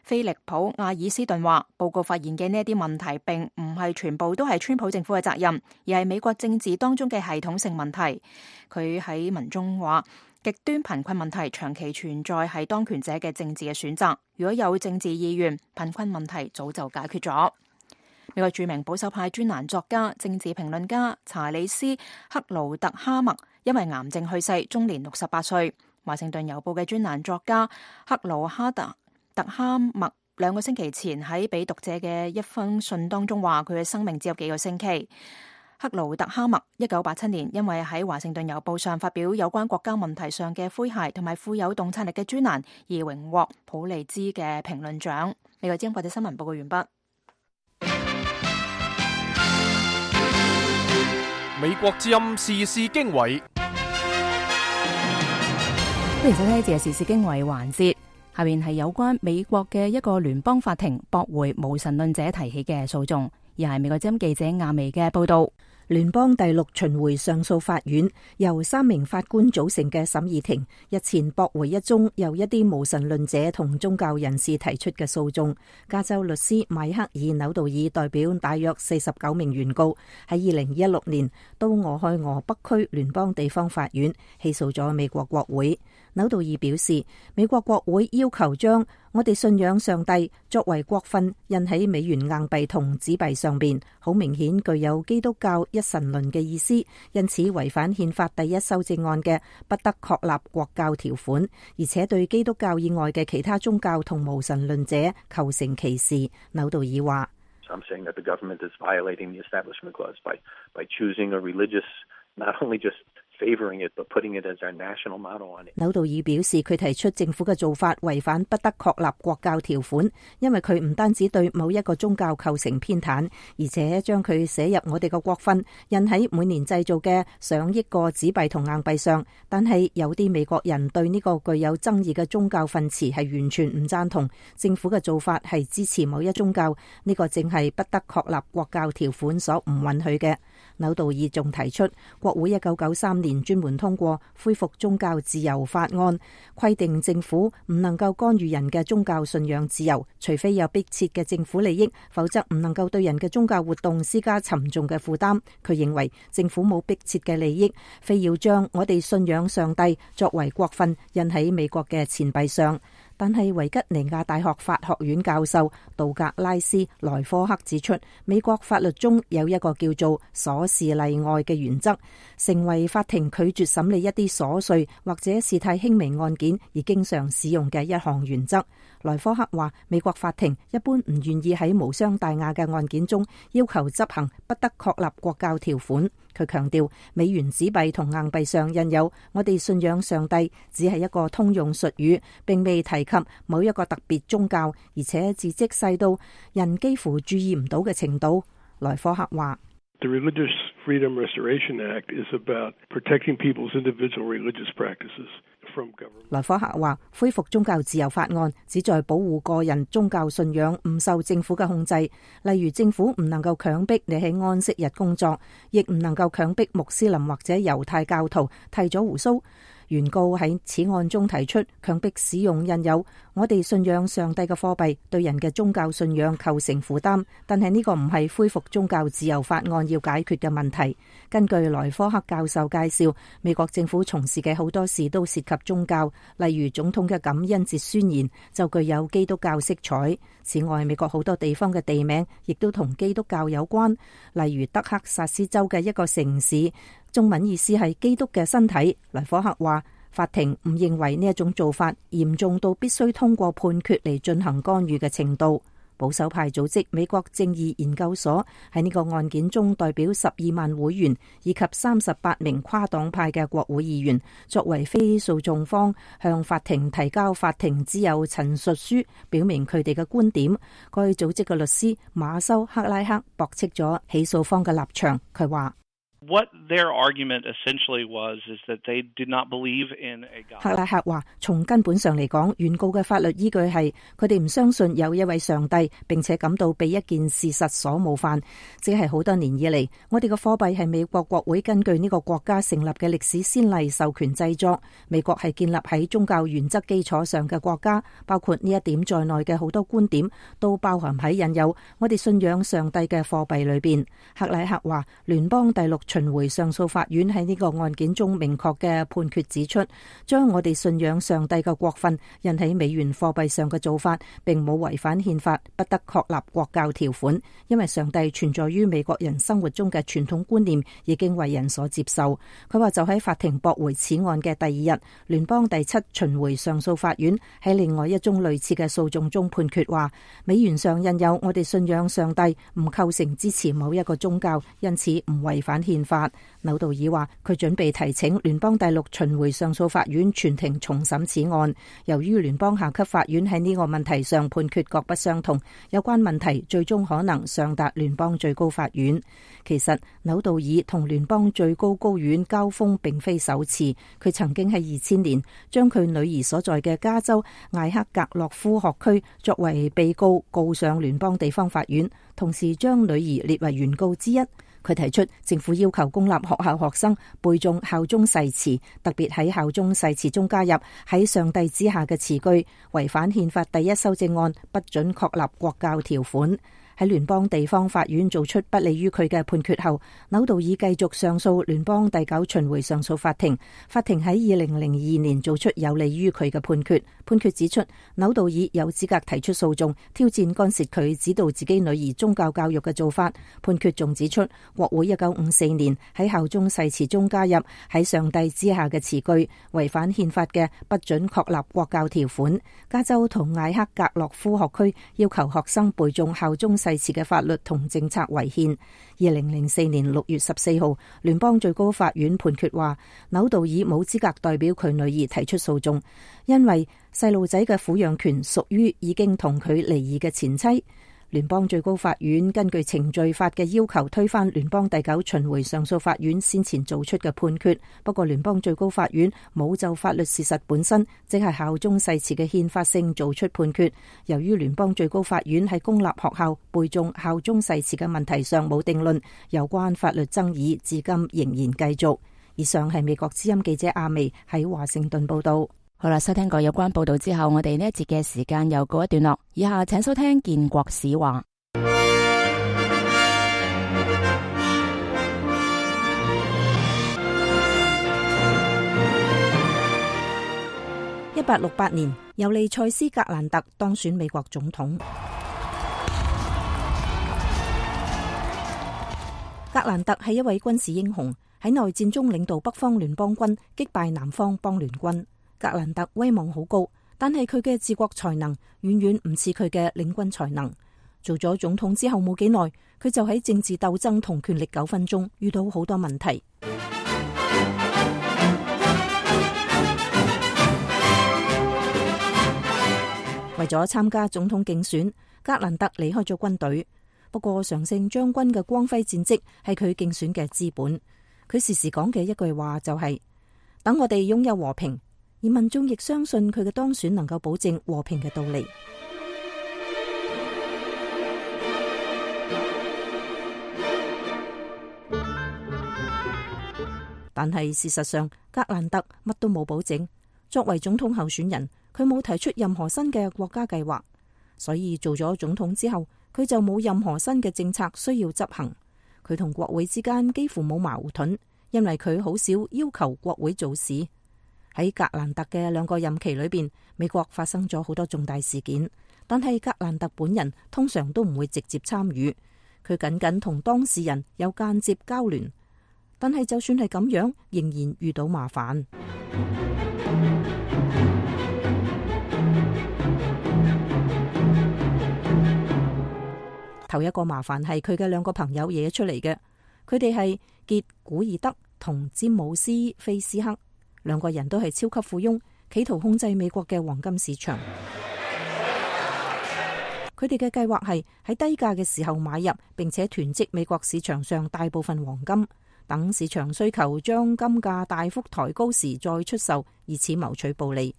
菲利普·阿爾斯頓話，報告發現嘅呢一啲問題並唔係全部都係川普政府嘅責任，而係美國政治當中嘅系統性問題。佢喺文中話，極端貧困問題長期存在係當權者嘅政治嘅選擇，如果有政治意願，貧困問題早就解決咗。美國著名保守派專欄作家、政治評論家查理斯·克勞特哈默因為癌症去世，終年68歲。華盛頓郵報嘅專欄作家克勞特哈默2個星期前喺俾讀者嘅一封信當中話，佢嘅生命只有幾個星期。克勞特哈默1987年因為喺華盛頓郵報上發表有關國家問題上嘅詼諧同埋富有洞察力嘅專欄而榮獲普利茲嘅評論獎。美國之音國際新聞報告完畢。美國之音時事經緯，歡迎收聽呢節時事經緯環節。下面係有關美國嘅一個聯邦法庭駁回無神論者提起嘅訴訟，而係美國之音記者亞薇嘅報道。聯邦第6巡迴上訴法院由3名法官組成嘅審議庭日前駁回一宗由一啲無神論者同宗教人士提出嘅訴訟。加州律師邁克爾·紐道爾代表大約49名原告喺2016年到俄亥俄北區聯邦地方法院起訴咗美國國會。紐道爾表示，美國國會要求將我哋信仰上帝作為國訓印喺美元硬幣同紙幣上邊，好明顯具有基督教一神論嘅意思，因此違反憲法第1修正案嘅不得確立國教條款，而且對基督教以外嘅其他宗教同無神論者構成歧視。紐道爾話I'm saying that the government is violating the Establishment Clause by choosing a religious, not only just favoring it, but putting it as our national motto on it. 紐道爾表示，佢提出政府嘅做法違反不得確立國教條款，因為佢唔單止對某一個宗教構成偏袒，而且將佢寫入我哋嘅國訓，印喺每年製造嘅上億個紙幣同硬幣上。但係有啲美國人對呢個具有爭議嘅宗教訓詞係完全唔贊同，政府嘅做法係支持某一宗教，呢個正係不得確立國教條款所唔允許嘅。紐道爾仲提出，國會1993年專門通過恢復宗教自由法案，規定政府唔能夠干預人嘅宗教信仰自由，除非有迫切嘅政府利益，否則唔能夠對人嘅宗教活動施加沉重嘅負擔。佢認為政府冇迫切嘅利益，非要將我哋信仰上帝作為國訓印喺美國嘅錢幣上。但係維吉尼亞大學法學院教授道格拉斯·萊科克指出，美國法律中有一個叫做瑣事例外嘅原則，成為法庭拒絕審理一啲瑣碎或者事態輕微案件而經常使用嘅一項原則。萊科克話，美國法庭一般唔願意喺無傷大雅嘅案件中要求執行不得確立國教條款。佢強調，美元紙幣同硬幣上印有我哋信仰上帝只係一個通用術語，並未提及某一個特別宗教，而且字跡細到人幾乎注意唔到嘅程度。萊科克話The Religious Freedom Restoration Act is about protecting people's individual religious practices from government. 萊科克話，恢復宗教自由法案旨在保護個人宗教信仰唔受政府嘅控制，例如政府唔能夠強迫你喺安息日工作，亦唔能夠強迫穆斯林或者猶太教徒剃咗鬍鬚。原告喺此案中提出，強迫使用印有我哋信仰上帝嘅貨幣對人嘅宗教信仰構成負擔，但係呢個唔係恢復宗教自由法案要解決嘅問題。根據萊科克教授介紹，美國政府從事嘅好多事都涉及宗教，例如總統嘅感恩節宣言就具有基督教色彩。此外，美國好多地方嘅地名亦都同基督教有關，例如德克薩斯州嘅一個城市，中文意思係基督嘅身體。萊科克話，法庭唔認為呢一種做法嚴重到必須通過判決嚟進行干預嘅程度。保守派組織美國正義研究所喺呢個案件中代表12萬會員以及38名跨黨派嘅國會議員，作為非訴訟方向法庭提交法庭之友陳述書，表明佢哋嘅觀點。該組織嘅律師馬修克拉克駁斥咗起訴方嘅立場，佢話 What their argument essentially was is that they did not believe in a God. 克拉克話：從根本上嚟講，原告嘅法律依據係佢哋唔相信有一位上帝，並且感到被一件事實所冒犯，即係好多年以嚟，我哋嘅貨幣係美國國會根據呢個國家成立嘅歷史先例授權製作。美國係建立喺宗教原則基礎上嘅國家，包括呢一點在內嘅好多觀點都包含喺引誘我哋信仰上帝嘅貨幣裏邊。克拉克話：聯邦第6巡迴上訴法院喺呢個案件中明確嘅判決指出，將我哋信仰上帝嘅國訓印喺美元貨幣上嘅做法並冇違反憲法，不得確立國教條款，因為上帝存在於美國人生活中嘅傳統觀念已經為人所接受。佢話就喺法庭駁回此案嘅第2日，聯邦第7巡迴上訴法院喺另外一宗類似嘅訴訟中判決話，美元上印有我哋信仰上帝唔構成支持某一個宗教，因此唔違反憲法。紐道爾話佢準備提請聯邦第6巡迴上訴法院全庭重審此案。由於聯邦下級法院喺呢個問題上判決各不相同，有關問題最終可能上達聯邦最高法院。其實紐道爾同聯邦最高高院交鋒並非首次，佢曾經喺2000年將佢女兒所在嘅加州艾克格洛夫學區作為被告告上聯邦地方法院，同時將女兒列為原告之一。佢提出政府要求公立學校學生背誦效忠誓詞，特別喺效忠誓詞中加入喺上帝之下嘅詞句，違反憲法第1修正案不准確立國教條款。喺聯邦地方法院做出不利於佢嘅判決後，紐道爾繼續上訴聯邦第9巡迴上訴法庭。法庭喺2002年做出有利於佢嘅判決。判決指出，紐道爾有資格提出訴訟，挑戰干涉佢指導自己女兒宗教教育嘅做法。判決仲指出，國會1954年喺效忠誓詞中加入喺上帝之下嘅詞句，違反憲法嘅不准確立國教條款。加州同艾克格洛夫學區要求學生背誦效忠誓詞嘅法律同政策違憲。2004年6月14號，聯邦最高法院判決話，紐道爾冇資格代表佢女兒提出訴訟，因為細路仔嘅撫養權屬於已經同佢離異嘅前妻。聯邦最高法院根據程序法嘅要求推翻聯邦第9巡迴上訴法院先前做出嘅判決。不過聯邦最高法院冇就法律事實本身，即係效忠誓詞嘅憲法性做出判決。由於聯邦最高法院喺公立學校背誦效忠誓詞嘅問題上冇定論，有關法律爭議至今仍然繼續。以上係美國之音記者阿薇喺華盛頓報道。好啦，收聽過有關報道之後，我哋呢一節嘅時間又告一段落。以下請收聽建國史話。1868年，尤利塞斯格蘭特當選美國總統。格蘭特係一位軍事英雄，喺內戰中領導北方聯邦軍擊敗南方邦聯軍。格蘭特威望好高，但係佢嘅治國才能遠遠唔似佢嘅領軍才能。做咗總統之後冇幾耐，佢就喺政治鬥爭同權力糾紛中遇到好多問題。為咗參加總統競選，格蘭特離開咗軍隊。不過常勝將軍嘅光輝戰績係佢競選嘅資本。佢時時講嘅一句話就係：等我哋擁有和平。而民眾亦相信佢嘅當選能夠保證和平嘅到嚟。但係事實上，格蘭特乜都冇保證。作為總統候選人，佢冇提出任何新嘅國家計劃，所以做咗總統之後，佢就冇任何新嘅政策需要執行。佢同國會之間幾乎冇矛盾，因為佢好少要求國會做事。喺格蘭特嘅2個任期裏邊，美國發生咗好多重大事件，但係格蘭特本人通常都唔會直接參與，佢僅僅同當事人有間接交聯。但係就算係咁樣，仍然遇到麻煩。頭一個麻煩係佢嘅2個朋友惹出嚟嘅，佢哋係傑古爾德同詹姆斯菲斯克。2個人都係超級富翁，企圖控制美國嘅黃金市場。佢哋嘅計劃係喺低價嘅時候買入，並且囤積美國市場上大部分黃金。等市場需求將金價大幅抬高時再出售，以此謀取暴利。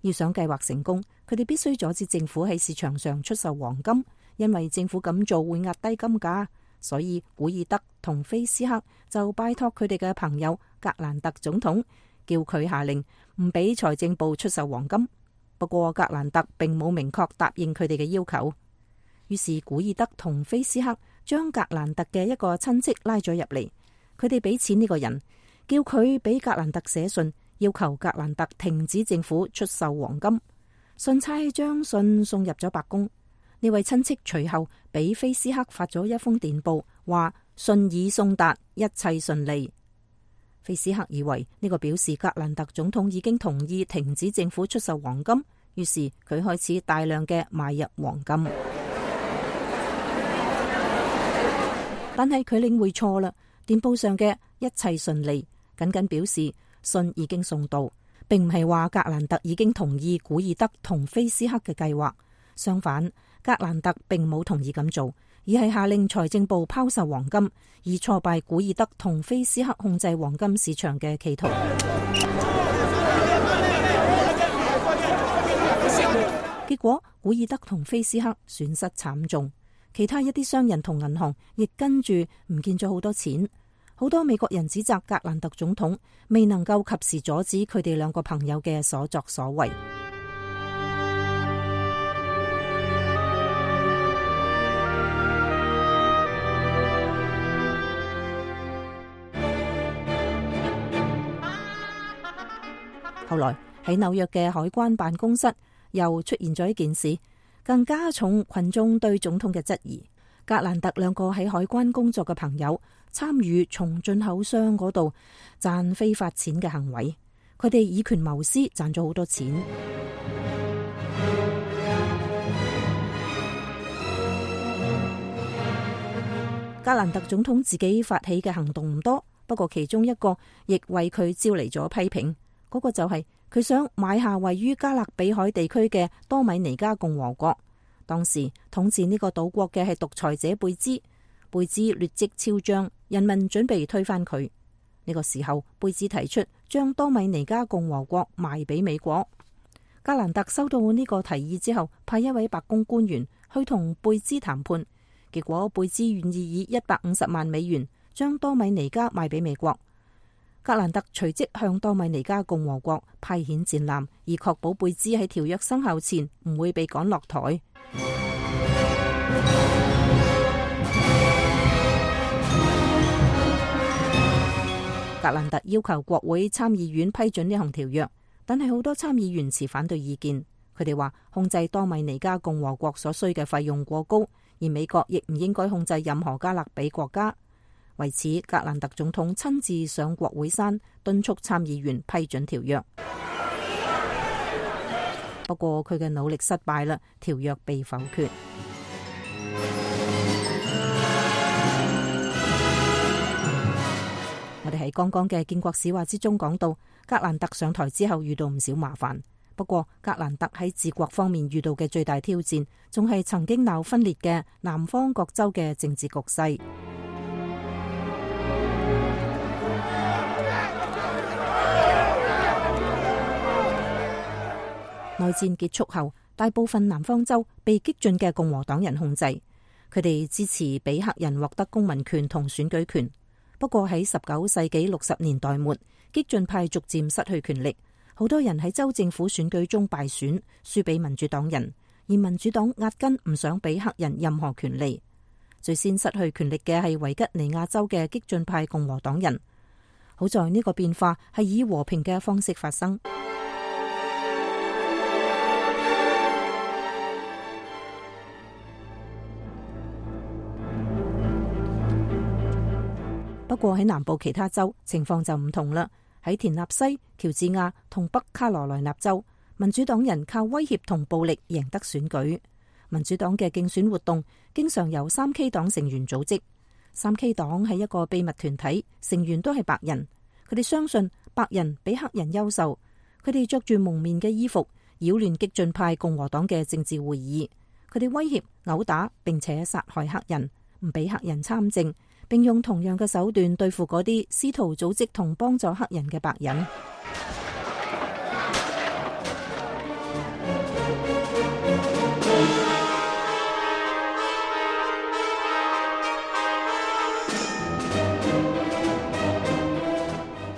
要想計劃成功，佢哋必須阻止政府喺市場上出售黃金，因為政府咁做會壓低金價。所以古爾德同菲斯克就拜託佢哋嘅朋友格蘭特總統，叫佢下令唔俾財政部出售黃金。不過格蘭特並冇明確答應佢哋嘅要求。於是古爾德同菲斯克將格蘭特嘅一個親戚拉咗入嚟，佢哋俾錢呢個人，叫佢俾格蘭特寫信，要求格蘭特停止政府出售黃金。信差將信送入咗白宮。呢位親戚隨後俾菲斯克發咗一封電報，話信已送達，一切順利。菲斯克以為呢個表示格蘭特總統已經同意停止政府出售黃金，於是佢開始大量嘅買入黃金。但係佢領會錯啦，電報上嘅一切順利僅僅表示信已經送到，並唔係話格蘭特已經同意古爾德同菲斯克嘅計劃。相反，格蘭特並冇同意咁做，而係下令財政部拋售黃金，以挫敗古爾德同菲斯克控制黃金市場嘅企圖。結果，古爾德同菲斯克損失慘重，其他一啲商人同銀行亦跟住唔見咗好多錢。好多美國人指責格蘭特總統未能夠及時阻止佢哋兩個朋友嘅所作所為。後來喺紐約嘅海關辦公室又出現咗一件事，更加重群眾對總統嘅質疑。格蘭特兩個喺海關工作嘅朋友參與從進口商嗰度賺非法錢嘅行為，佢哋以權謀私，賺咗好多錢。格蘭特總統自己發起嘅行動唔多，不過其中一個亦為佢招嚟咗批評。嗰個就係佢想買下位於加勒比海地區嘅多米尼加共和國。當時統治呢個島國嘅係獨裁者貝茲，貝茲劣跡超彰，人民準備推翻佢。呢個時候，貝茲提出將多米尼加共和國賣俾美國。格蘭特收到呢個提議之後，派一位白宮官員去同貝茲談判，結果貝茲願意以150萬美元將多米尼加賣俾美國。格蘭特隨即向多米尼加共和國派遣戰艦，以確保貝茲喺條約生效前唔會被趕落台。格蘭特要求國會參議院批准呢項條約，但係好多參議員持反對意見。佢哋話控制多米尼加共和國所需嘅費用過高，而美國亦唔應該控制任何加勒比國家。為此，格蘭特總統親自上國會山敦促參議員批准條約。不過佢嘅努力失敗啦，條約被否決。我哋喺剛剛嘅建國史話之中講到，格蘭特上台之後遇到唔少麻煩。不過格蘭特喺治國方面遇到嘅最大挑戰，仲係曾經鬧分裂嘅南方各州嘅政治局勢。內戰結束後，大部分南方州被激進嘅共和黨人控制，佢哋支持俾黑人獲得公民權同選舉權。不過喺19世紀60年代末，激進派逐漸失去權力，好多人喺州政府選舉中敗選，輸俾民主黨人，而民主黨壓根唔想俾黑人任何權利。最先失去權力嘅係維吉尼亞州嘅激進派共和黨人。好在呢個變化係以和平嘅方式發生。不過喺南部其他州情況就唔同啦。喺田納西、喬治亞同北卡羅來納州，民主黨人靠威脅同暴力贏得選舉。民主黨嘅競選活動經常由3K 黨成員組織。3K 黨係一個秘密團體，成員都係白人。佢哋相信白人比黑人優秀。佢哋着住蒙面嘅衣服，擾亂激進派共和黨嘅政治會議。佢哋威脅、毆打並且殺害黑人，唔俾黑人參政，並用同樣嘅手段對付嗰啲試圖組織同幫助黑人嘅白人。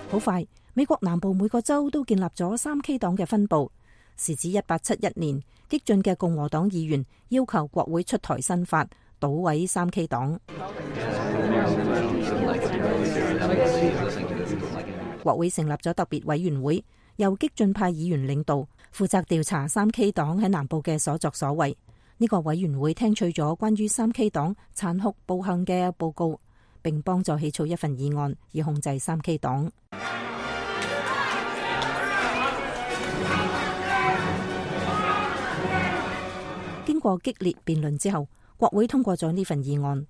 好快，美國南部每個州都建立咗3K 黨嘅分部。時至1871年，激進嘅共和黨議員要求國會出台新法，搗毀3K 黨。國會成立咗特別委員會，由激進派議員領導，負責調查3K 黨喺南部嘅所作所為。呢個委員會聽取咗關於3K 黨殘酷暴行嘅報告，並幫助起草一份議案，以控制3K 黨。經過激烈辯論之後，國會通過咗呢份議案。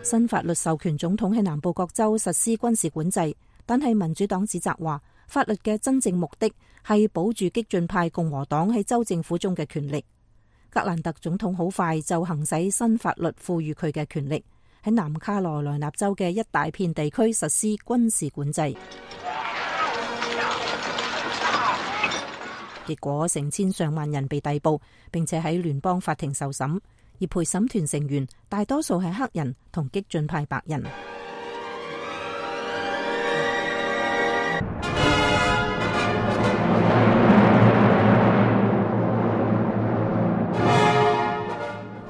新法律授權總統喺南部各州實施軍事管制，但係民主黨指責話，法律嘅真正目的係保住激進派共和黨喺州政府中嘅權力。格蘭特總統好快就行使新法律賦予佢嘅權力，喺南卡羅來納州嘅一大片地區實施軍事管制。結果成千上萬人被逮捕，並且喺聯邦法庭受審，而陪審團成員大多數係黑人同激進派白人。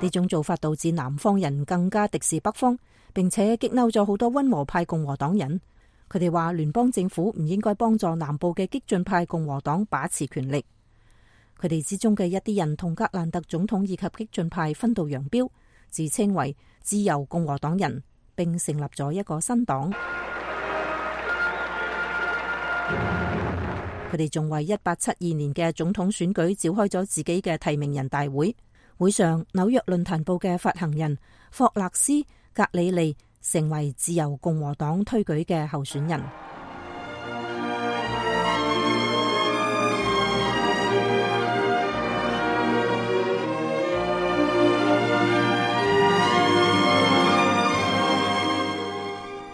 呢種做法導致南方人更加敵視北方，並且激嬲咗好多溫和派共和黨人。佢哋話聯邦政府唔應該幫助南部嘅激進派共和黨把持權力。佢哋之中嘅一啲人同格蘭特總統以及激進派分道揚鑣，自稱為自由共和黨人，並成立咗一個新黨。佢哋仲為1872年嘅總統選舉召開咗自己嘅提名人大會。會上，紐約論壇報嘅發行人霍勒斯·格里利成為自由共和黨推舉嘅候選人。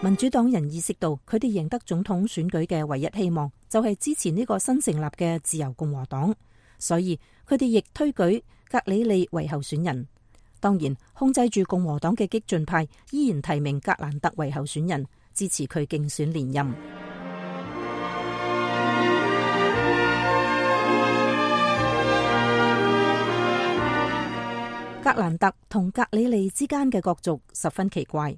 民主黨人意識到，佢哋贏得總統選舉嘅唯一希望就係支持呢個新成立嘅自由共和黨，所以佢哋亦推舉格里利為候選人。當然，控制住共和黨嘅激進派依然提名格蘭特為候選人，支持佢競選連任。格蘭特同格里利之間嘅角逐十分奇怪。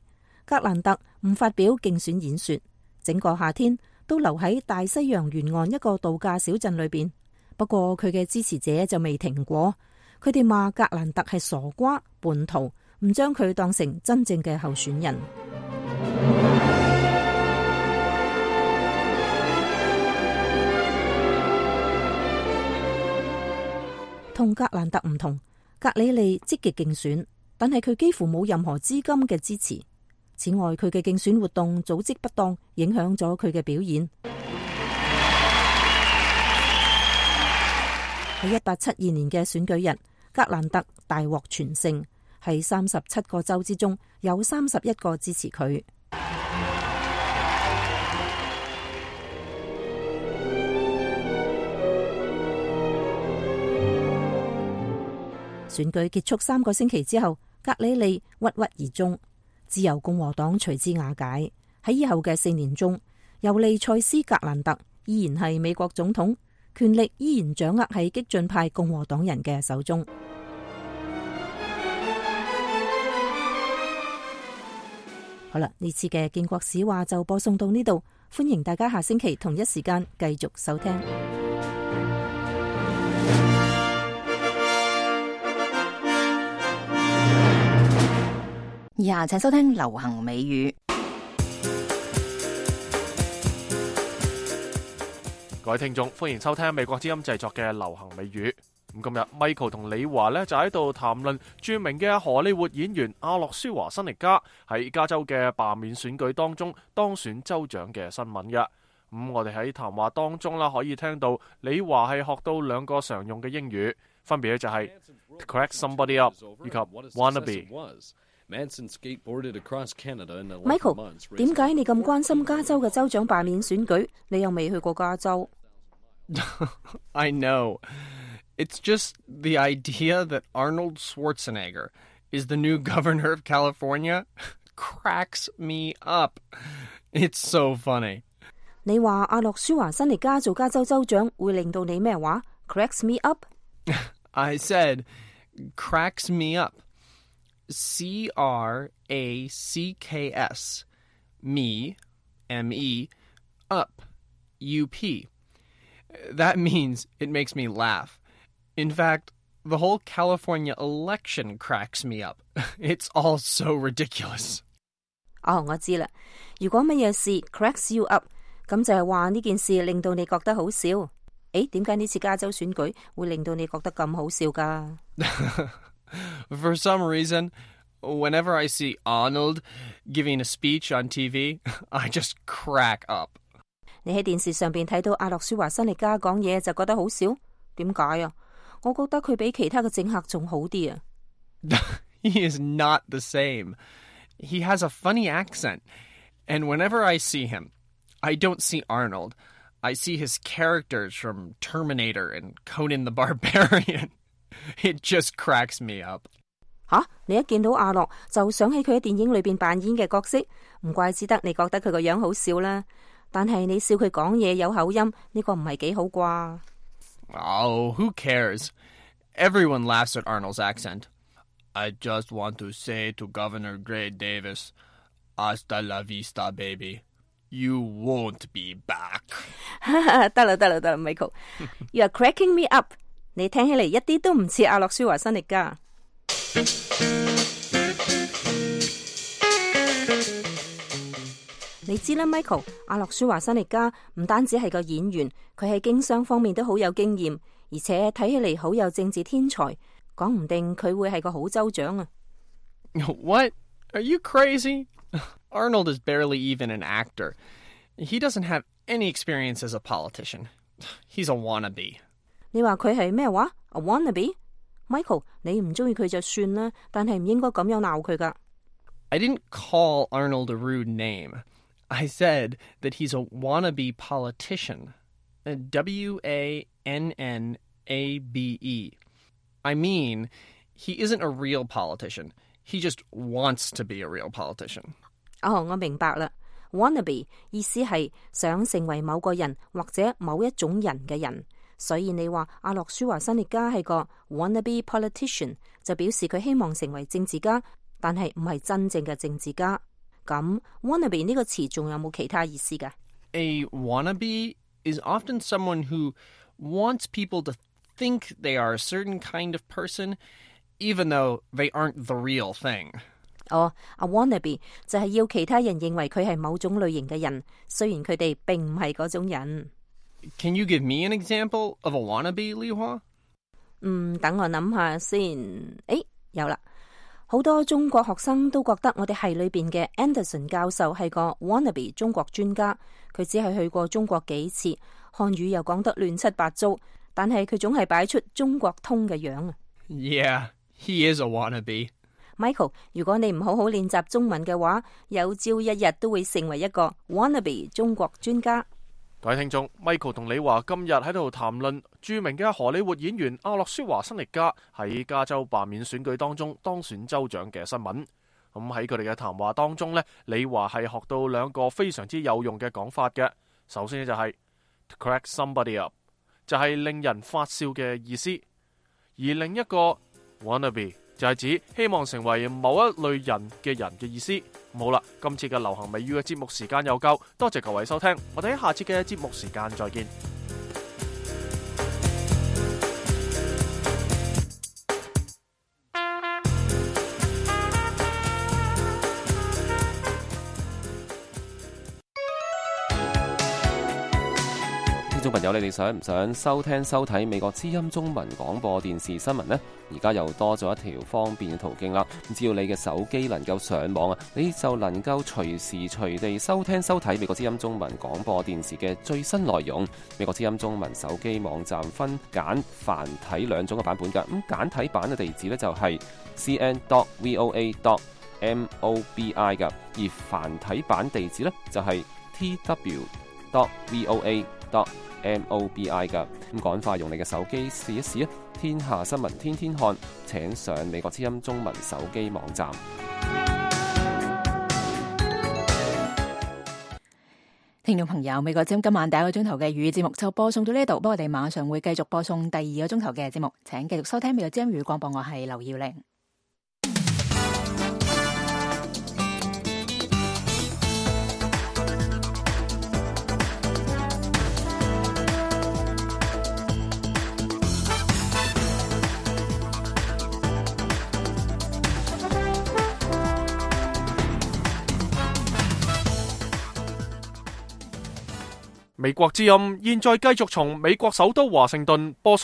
格蘭特唔發表競選演說，整個夏天都留喺大西洋沿岸一個度假小鎮裏邊。不過佢嘅支持者就未停過。佢哋罵格蘭特係傻瓜、叛徒，唔將佢當成真正嘅候選人。同格蘭特唔同，格里利積極競選，但係佢幾乎冇任何資金嘅支持。此外，佢嘅競選活動組織不當，影響咗佢嘅表現。喺1872年嘅選舉日，格蘭特大獲全勝，喺37個州之中有31個支持佢。選舉結束3個星期之後，格里利鬱鬱而終，自由共和黨隨之瓦解。喺以後嘅4年中，尤利塞斯·格蘭特依然係美國總統，權力依然掌握喺激進派共和黨人嘅手中。好啦，呢次嘅建國史話就播送到呢度，歡迎大家下星期同一時間繼續收聽。以下請收聽流行美語。各位聽眾，歡迎收聽美國之音製作嘅流行美語。咁今日 Michael 同李華呢就喺度談論著名嘅荷里活演員阿諾舒華辛力加喺加州嘅罷免選舉當中當選州長嘅新聞嘅。咁我哋喺談話當中啦，可以聽到李華係學到2個常用嘅英語，分別咧就係 to crack somebody up 以及 wannabe。Michael， 點解你咁關心加州嘅州長罷免選舉？你又未去過加州。I know. It's just the idea that Arnold Schwarzenegger is the new governor of California cracks me up. It's so funny. 你話阿諾舒華辛力加做加州州長會令到你咩話 ？Cracks me up? I said cracks me up. CRACKS. Me, M-E, up, U-P. That means it makes me laugh. In fact, the whole California election cracks me up. It's all so ridiculous. 我知啦。如果乜嘢事 cracks you up， 咁就係話呢件事令到你覺得好笑。點解呢次加州選舉會令到你覺得咁好笑㗎？ For some reason, whenever I see Arnold giving a speech on TV, I just crack up. 你喺電視上邊睇到阿諾舒華辛力加講嘢就覺得好笑？點解啊？我覺得佢比其他嘅政客仲好啲啊。He is not the same. He has a funny accent. And whenever I see him, I don't see Arnold. I see his characters from Terminator and Conan the Barbarian. It just cracks me up. 你一見到阿諾就想起佢喺電影裏邊扮演嘅角色，唔怪之得你覺得佢個樣好笑啦。但係你笑佢講嘢有口音，呢個唔係幾好啩？Oh, who cares? Everyone laughs at Arnold's accent. I just want to say to Governor Gray Davis, hasta la vista, baby. You won't be back. 得啦 Michael. You are cracking me up. 你聽起嚟一啲都唔似阿諾舒華辛力加。你知啦 ，Michael， 阿諾舒華辛力加唔單止係個演員，佢喺經商方面都好有經驗，而且睇起嚟好有政治天才，講唔定佢會係個好州長啊。What? Are you crazy? Arnold is barely even an actor. He doesn't have any experience as a politician. He's a wannabe. 你話佢係咩話 ？A wannabe？ Michael， 你唔中意佢就算啦，但係唔應該咁樣鬧佢噶。I didn't call Arnold a rude name. I said that he's a wannabe politician. W-A-N-N-A-B-E. I mean, he isn't a real politician. He just wants to be a real politician. 我明白啦。Wannabe 意思係想成為某個人或者某一種人嘅人。所以你話阿諾舒華辛力加係個 wannabe politician， 就表示佢希望成為政治家，但係唔係真正嘅政治家。咁 wannabe 呢個詞仲有冇其他意思㗎？ A wannabe is often someone who wants people to think they are a certain kind of person, even though they aren't the real thing. A wannabe 就係要其他人認為佢係某種類型嘅人，雖然佢哋並唔係嗰種人。Can you give me an example of a wannabe, Li Hua? 等我諗下先。有啦。好多中國學生都覺得我哋系裏邊嘅 Anderson 教授係個 wannabe 中國專家，佢只係去過中國幾次，漢語又講得亂七八糟，但係佢總係擺出中國通嘅樣啊。Yeah, he is a wannabe. Michael， 如果你唔好好練習中文嘅話，有朝一日都會成為一個 wannabe 中國專家。各位聽眾 ，Michael 同李華今日喺度談論著名嘅荷里活演員阿諾舒華辛力加喺加州罷免選舉當中當選州長嘅新聞。咁喺佢哋嘅談話當中呢，李華係學到2個非常之有用嘅講法嘅。首先呢就係 to crack somebody up， 就係令人發笑嘅意思；而另一個 wannabe 就係指希望成為某一類人嘅意思。好啦，今次嘅流行美語嘅節目時間又夠，多謝各位收聽，我哋喺下次嘅節目時間再見。聽眾朋友，你哋想唔想收聽收睇美國之音中文廣播電視新聞呢？而家又多咗一條方便嘅途徑啦。只要你嘅手機能夠上網啊，你就能夠隨時隨地收聽收睇美國之音中文廣播電視嘅最新內容。美國之音中文手機網站分簡繁體兩種嘅版本㗎。咁簡體版嘅地址呢，就係 cn.voa.mobi 㗎，而繁體版地址呢，就係 tw.voa.mobi 噶。咁趕快用你嘅手機試一試啊！天下新聞天天看，請上美國之音中文手機網站。聽眾朋友，美國之音今晚第一個鐘頭嘅粵語節目就播送到呢度，不過我哋馬上會繼續播送第二個鐘頭嘅節目，請繼續收聽美國之音粵語廣播，我係劉耀玲。美國之音現在繼續從美國首都華盛頓播送